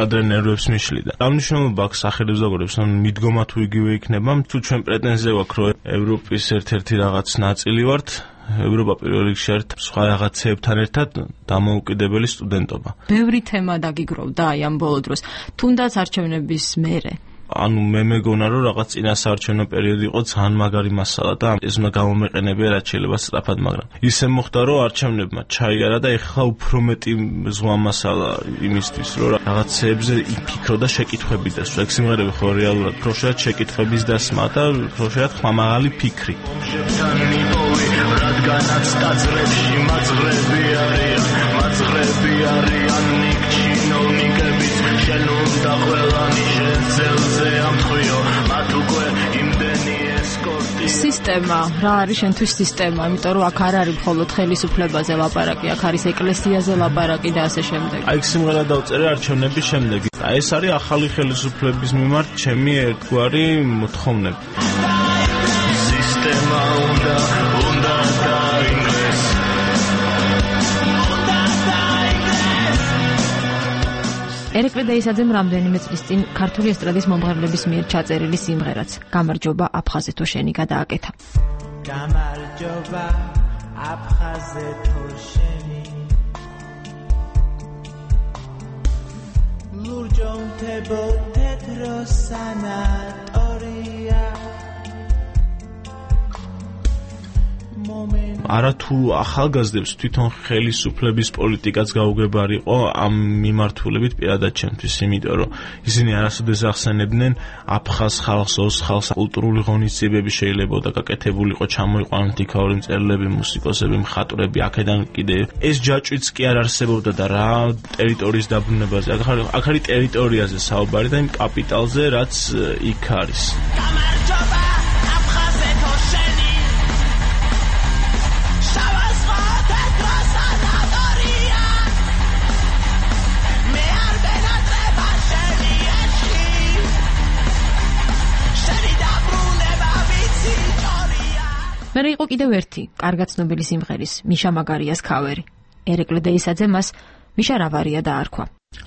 ადრე ნერვებს მიშლიდა აღნიშნულობა აქვს სახელმწიფოებს რომ მიდგომა თუ იგივე იქნება თუ ჩვენ პრეტენზია გვაქვს რომ ევროპის ერთ-ერთი რაღაც ნაწილი ვართ ევროპა პირველ რიგში არის სხვა რაღაცეებთან ერთად დამოუკიდებელი სტუდენტობა. ბევრი თემა დაგიგროვდა აი ამ ბოლო დროს. თუნდაც არჩევნების მერე. ანუ მე მეგონა რომ რაღაც წინასაარჩევნო პერიოდი იყო ძალიან მაგარი მასალა და ეს უნდა გამომეყენებია რაც შეიძლება სწრაფად, მაგრამ ისე მოხდა რომ არჩევნებმა ჩაიარა და ეხლა უფრო მეტი ზღვა მასალა იმისთვის რომ რაღაცეებზე იფიქრო და შეკითხვები დასვა. ეგ სიმღერები ხო რეალურად პროშეათ შეკითხვების დასმა და პროშეათ ხმამაღალი ფიქრი. რადგანაც ტაძრებში მაძღრები არიან ნიკჩინოვნიკები შენ უნდა ყველანი შენზე ამთხვიო მათ უკვე იმდენი ესკორტი სისტემა რა არის შენთვის სისტემა იმიტომ რომ აქ არ არის მხოლოდ ხელისუფლებაზე ლაპარაკი აქ არის ეკლესიაზე ლაპარაკი და ასე შემდეგ აი სიმღერა დავწერე არჩევნების შემდეგ აი ეს არის ახალი ხელისუფლების მიმართ ჩემი ერთგვარი მოთხოვნები სისტემა უნდა დაინგრეს ერეკლე დაისაძემ რამდენიმე წლის წინ ქართული ესტრადის მომღერლების მიერ ჩაწერილი სიმღერაც გამარჯობა აფხაზეთო შენი გადააკეთა. გამარჯობა აფხაზეთო შენი ლურჯონთებო თეთრო სანატორია არათუ ახალგაზრდებს თვითონ ხელისუფლების პოლიტიკაც გაუგებარიყო ამ მიმართულებით პირადად ჩემთვის, იმიტომ რომ ისინი არასოდეს ახსენებდნენ აფხაზ ხალხს, ოს ხალხს კულტურული ღონისძიებები შეიძლებოდა გაკეთებულიყო, ჩამოიყვანოთ იქაური მწერლები, მუსიკოსები, მხატვრები, აქედან კიდე ეს ჯაჭვიც კი არ არსებობდა და რა ტერიტორიის დაბრუნებაზე. აქ არის ტერიტორიაზე საუბარი და იმ კაპიტალზე, რაც იქ არის. გამარჯობა აფხაზეთო შენი მერე იყო კიდევ ერთი კარგად ცნობილი სიმღერის მიშა მაგარიას ქავერი. ერეკლე დეისაძე მას მიშა რავარია დაარქვა.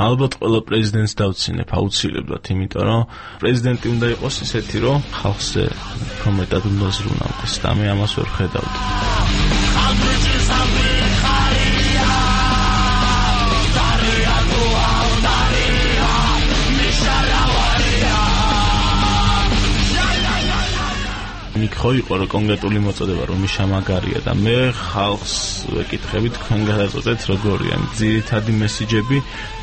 ალბათ ყველა პრეზიდენტს დავცინებ აუცილებლად, იმიტომ რომ პრეზიდენტი უნდა იყოს ისეთი, რომ ხალხზე უფრო მეტად უნდა ზრუნავდეს და მე ამას ვერ ხედავდი. იქ ხო იყო რომ კონკრეტული მოწოდება რომ მიშა მაგარია და მე ხალხს ვეკითხები თქვენ გადაწყვეტეთ როგორია ძირითადი მესიჯები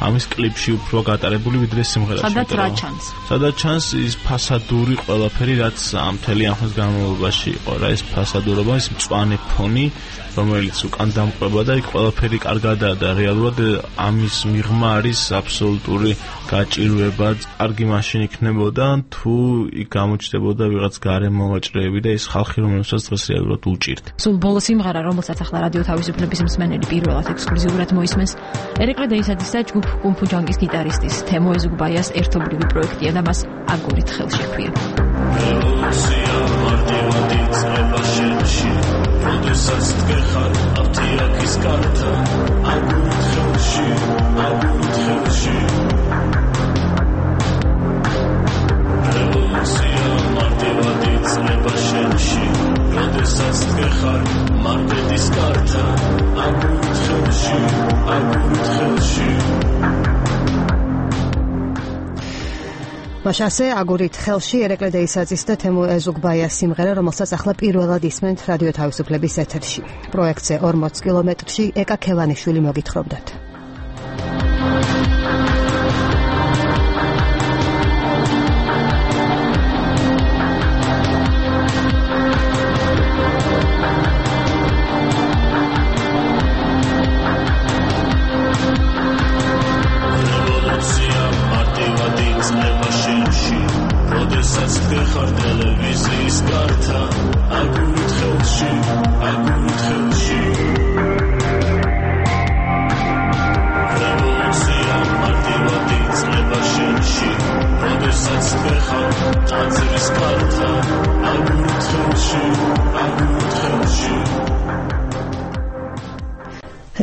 ამის კლიპში უფრო გატარებული ვიდრე სიმღერაში სადაც ჩანს ის ფასადური ყველაფერი რაც ამ მთელი ამ ხნის განმავლობაში იყო რა ეს ფასადურობა ის მწვანე ფონი რომელიც უკან დამყვება და იქ ყველაფერი კარგადაა და რეალურად ამის მიღმა არის აბსოლუტური გაჭირვება კარგი მაშინ იქნებოდა თუ იქ გამოჩნდებოდა ვიღაც გარე მოვაჭრეები და ის ხალხი რომელსაც დღეს რეალურად უჭირთ. სულ ბოლო სიმღერა რომელსაც ახლა რადიო თავისუფლების მსმენელი პირველად ექსკლუზიურად მოისმენს ერეკლე დეისაძის და ჯგუფ კუნფუ ჯანგის გიტარისტის თემო ეზუგბაიას ერთობლივი პროექტია და მას აგურით ხელში ჰქვია. როდესაც დგეხარ აფთიაქის კართა აგურით ხელში რევოლუცია მარტივად იწყება შენში როდესაც დგეხარ მარტედის კართა აგურით ხელში მაშასე აგურით ხელში ერეკლე დეისაძის და თემო ეზუგბაიას სიმღერა, რომელსაც ახლა პირველად ისმენთ რადიო თავისუფლების ეთერში. პროექტზე 40 კილომეტრში ეკა ქევანიშვილი მოგითხრობდათ.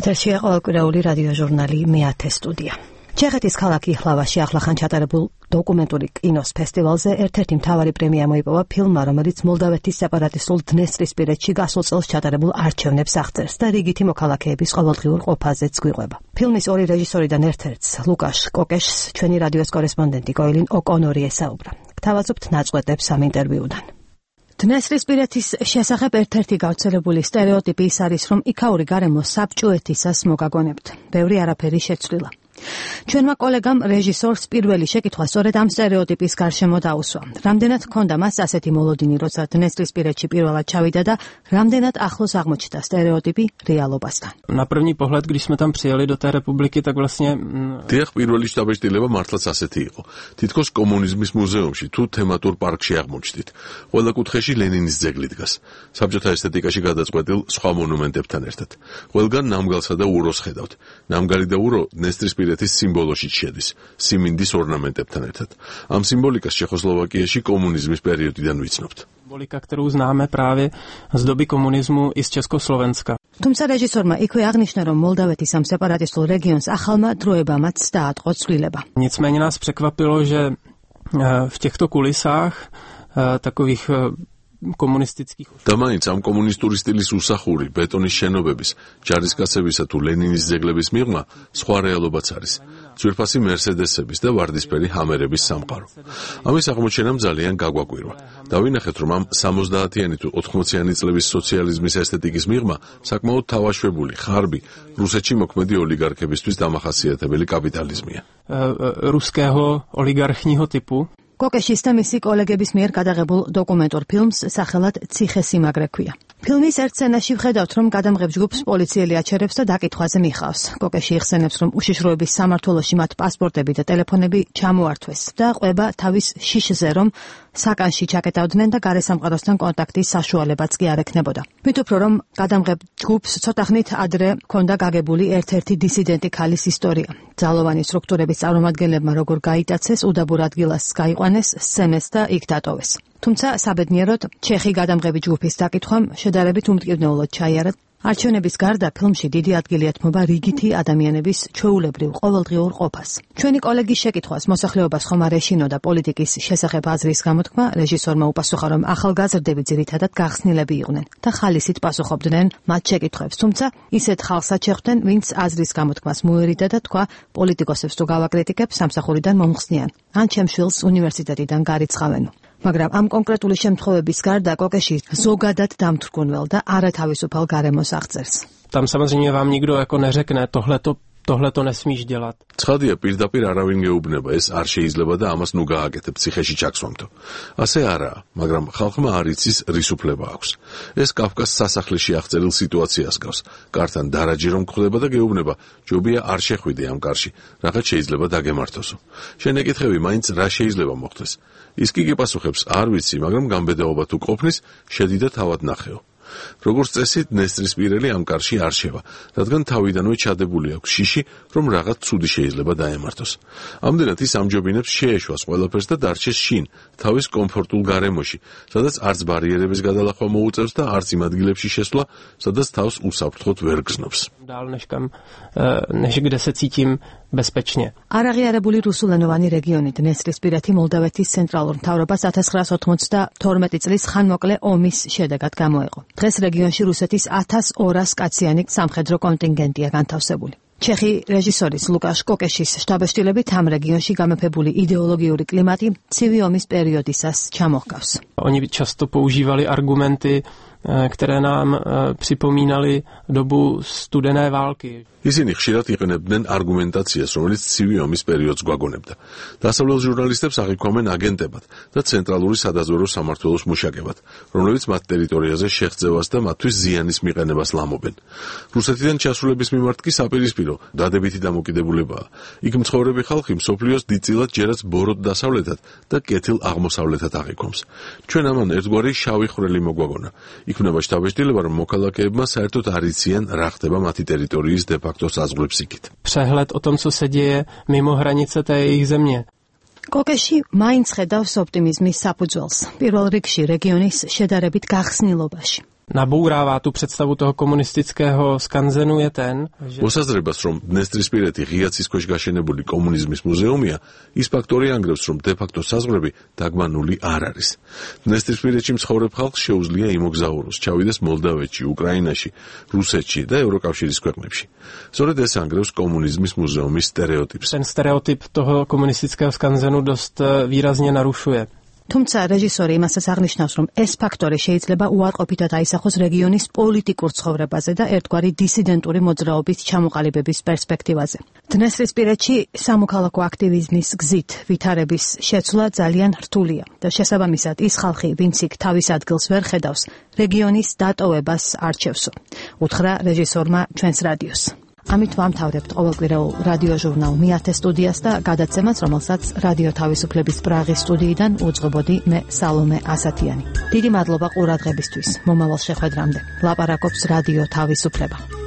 ეთერშია ყოველკვირეული რადიო ჟურნალი მე-10 სტუდია. ჩეხეთის ქალაქ იჰლავაში ახლახან ჩატარებულ დოკუმენტური კინოს ფესტივალზე ერთ-ერთი მთავარი პრემია მოიპოვა ფილმმა, რომელიც მოლდავეთის სეპარატისტულ დნესტრისპირეთში გასულ წელს ჩატარებულ არჩევნებს აღწერს და რიგითი მოქალაქეების ყოველდღიურ ყოფაზეც გვიყვება. ფილმის ორი რეჟისორიდან ერთ-ერთს, ლუკაშ კოკეშს, ჩვენი რადიოს კორესპონდენტი კოილინ ოკონორი ესაუბრა. გთავაზობთ ნაწყვეტებს ამ ინტერვიუდან. დნესტრისპირეთის შესახებ ერთ-ერთი გავრცელებული სტერეოტიპი ის არის, რომ იქაური გარემო საბჭოეთისას მოგაგონებთ. ბევრი არაფერი შეცვლილა. ჩვენმა კოლეგამ რეჟისორს პირველი შეკითხვა სწორედ ამ სტერეოტიპის გარშემო დაუსვა. რამდენად ჰქონდა მას ასეთი მოლოდინი, როცა დნესტრისპირეთში პირველად čavida და რამდენად ახლოს აღმოჩნდა სტერეოტიპი რეალობასთან. Na první pohled, když jsme tam přijeli do té republiky, tak vlastně დიახ, პირველი შტაბ-შტილება მართლაც ასეთი იყო. თითქოს კომუნიზმის მუზეუმში თუ თემატურ პარკში აღმოჩნდით. ყველა კუთხეში ლენინის ძეგლი დგას. საბჭოთა ესთეტიკაში გადაწყვეტილ სხვა მონუმენტებთან ერთად. ყველგან ნამგალსა და უროს ხედავთ. ნამგალი და ურო დნესტრისპირეთის სიმბოლოში შედის, სიმინდის ორნამენტებთან ერთად. ამ სიმბოლიკას ჩეხოსლოვაკიაში კომუნიზმის პერიოდიდან ვიცნობთ. Symbolika, kterou známe právě z doby komunismu i z Československa. თუმცა რეჟისორმა იქვე აღნიშნა, რომ მოლდავეთის ამ სეპარატისტულ რეგიონს ახალმა დროებამაც დაატყო ცვლილება. Nicméně nás překvapilo, že v těchto kulisách takových komunistických და მაინც ამ კომუნისტური სტილის უსახური ბეტონის შენობების, ჯარისკაცებისა თუ ლენინის ძეგლების მიღმა სხვა რეალობაც არის. ძვირფასი მერსედესების და ვარდისფერი ჰამერების სამყარო. ამის აღმოჩენამ ძალიან გაგვაკვირვა. დავინახეთ, რომ ამ 70-იანი თუ 80-იანი წლების სოციალიზმის ესთეტიკის მიღმა საკმაოდ თავაშვებული, ხარბი, რუსეთში მოქმედი ოლიგარქებისთვის დამახასიათებელი კაპიტალიზმია. Ruského oligarchního typu. კოკეშის და მისი კოლეგების მიერ გადაღებულ დოკუმენტურ ფილმს სახელად ციხესიმაგრე ქვია. ფილმის ერთ სცენაში ვხედავთ, რომ გადამღებ ჯგუფს პოლიციელი აჩერებს და დაკითხვაზე მიხავს. კოკეში იხსენებს, რომ უშიშროების სამმართველოში მათ პასპორტები და ტელეფონები ჩამოართვეს და ყვება თავის შიშზე, რომ საკანში ჩაკეტავდნენ და გარესამყაროსთან კონტაქტის საშუალებაც კი არ ექნებოდა. მით უფრო რომ გადამღებ ჯგუფს ცოტახნით ადრე ჰქონდა გაგებული ერთ-ერთი დისიდენტი ქალის ისტორია. ძალოვანი სტრუქტურების წარმომადგენლებმა როგორ გაიტაცეს, უდაბურ ადგილას გაიყვანეს, სცემეს და იქ დატოვეს. თუმცა საბედნიეროდ ჩეხი გადამღები ჯგუფის დაკითხვამ შედარებით უმტკივნეულოდ ჩაიარა. არჩევნების გარდა ფილმში დიდი ადგილი ეთმობა რიგითი ადამიანების ჩვეულებრივ ყოველდღიურ ყოფას. ჩვენი კოლეგის შეკითხვას მოსახლეობას ხომ არ ეშინოდა პოლიტიკის შესახებ აზრის გამოთქმა, რეჟისორმა უპასუხა, რომ ახალგაზრდები ძირითადად გახსნილები იყვნენ და ხალისით პასუხობდნენ მათ შეკითხვებს. თუმცა ისეთ ხალხსაც შეხვდნენ, ვინც აზრის გამოთქმას მოერიდა და თქვა, პოლიტიკოსებს თუ გავაკრიტიკებ, სამსახურიდან მომხსნიან, ან ჩემ შვილს უნივერსიტეტიდან გარიცხავენო. მაგრამ ამ კონკრეტული შემთხვევების გარდა კოკეში ზოგადად დამთრგუნվել და არათავისუფალ გარემოს აღწერს. Tam samozřejmě vám nikdo jako neřekne tohle to nesmíš dělat. ცხადია, პირდაპირ არავინ გეუბნება, ეს არ შეიძლება და ამას ნუ გააკეთებ ციხეში ჩაქსვამთო. ასე არაა, მაგრამ ხალხმა არ იცის რის უფლება აქვს. ეს კაფკას სასახლეში აღწერილ სიტუაციას გავს. კართან დარაჯი რომ გხვდება და გეუბნება, ჯობია არ შეხვიდე ამ კარში, რაღაც შეიძლება დაგემართოსო. შენ ეკითხები, მაინც რა შეიძლება მოხდეს. ის კი გიპასუხებს, არ ვიცი, მაგრამ გამბედაობა თუ ყოფნის, შედი და თავად ნახეო. როგორც წესი, დნესტრისპირელი ამ კარში არ შევა, რადგან თავიდანვე ჩადებული აქვს შიში, რომ რაღაც ცუდი შეიძლება დაემართოს. ამდენად ის ამჯობინებს შეეშვას ყველაფერს და დარჩეს შინ, თავის კომფორტულ გარემოში, სადაც არც ბარიერების გადალახვა მოუწევს და არც იმ ადგილებში შესვლა, სადაც თავს უსაფრთხოდ ვერ გზნობს. Dál než kde se cítím bezpečně. არაღიარებული რუსულენოვანი რეგიონი დნესტრისპირეთი მოლდავეთის ცენტრალურ მთავრობას 1992 წლის ხანმოკლე ომის შედეგად გამოეყო. დღეს რეგიონში რუსეთის 1200 კაციანი სამხედრო კონტინგენტია განთავსებული. ჩეხი რეჟისორის ლუკაშ კოკეშის შტაბ-შტილებით ამ რეგიონში გამეფებული იდეოლოგიური კლიმატი ცივი ომის პერიოდისას ჩამოჰგავს. Oni často používali argumenty, které nám připomínaly dobu studené války. ისინი ხშირად იყენებდნენ არგუმენტაციას, რომელიც ცივი ომის პერიოდს გვაგონებდა. დასავლელ ჟურნალისტებს აღიქვამენ აგენტებად და ცენტრალური სადაზვერვო სამმართველოს მუშაკებად, რომლებიც მათ ტერიტორიაზე შეღწევას და მათთვის ზიანის მიყენებას ლამობენ. რუსეთიდან ჩასვლების მიმართ კი საპირისპირო, დადებითი დამოკიდებულებაა. იქ მცხოვრები ხალხი მსოფლიოს დიდწილად ჯერაც ბოროტ დასავლეთად და კეთილ აღმოსავლეთად აღიქვამს. ჩვენ ამან ერთგვარი შავი ხვრელი მოგვაგონა. იქმნება შტაბ-შტილება, რომ მოქალაქეებმა საერთოდ არ იციან რა ხდება მათი ტერიტორიის Přehled o tom, co se děje mimo hranice té jejich země. კოკეში მაინც ხედავს ოპტიმიზმის საფუძველს. პირველ რიგში რეგიონის შედარებით გახსნილობაში. nabourává tu představu toho komunistického skanzenu je ten, že მოსაზრებას, რომ დნესტრისპირეთი ღიაცის ქვეშ გაშენებული კომუნიზმის მუზეუმია, ის ფაქტორი ანგრევს, რომ დე-ფაქტო საზღვრები დაგმანული არ არის. დნესტრისპირეთში მცხოვრებ ხალხს შეუძლია იმოგზაუროს, ჩავიდეს მოლდავეთში, უკრაინაში, რუსეთში და ევროკავშირის ქვეყნებში. სწორედ ეს ანგრევს კომუნიზმის მუზეუმის სტერეოტიპს. ten stereotyp toho komunistického skanzenu dost výrazně narušuje. თუმცა რეჟისორი იმასაც აღნიშნავს, რომ ეს ფაქტორი შეიძლება უარყოფითად აისახოს რეგიონის პოლიტიკურ ცხოვრებაზე და ერთგვარი დისიდენტური მოძრაობის ჩამოყალიბების პერსპექტივაზე. დნესტრისპირეთში სამოქალაქო აქტივიზმის გზით ვითარების შეცვლა ძალიან რთულია და შესაბამისად ის ხალხი, ვინც იქ თავის ადგილს ვერ ხედავს, რეგიონის დატოვებას არჩევსო. უთხრა რეჟისორმა ჩვენს რადიოს. ამით ვამთავრებთ ყოველკვირეულ რადიო ჟურნალ მეათე სტუდიას და გადაცემას, რომელსაც რადიო თავისუფლების პრაღის სტუდიიდან უძღვებოდი მე სალომე ასათიანი. დიდი მადლობა ყურადღებისთვის. მომავალ შეხვედრამდე. ლაპარაკობს რადიო თავისუფლება.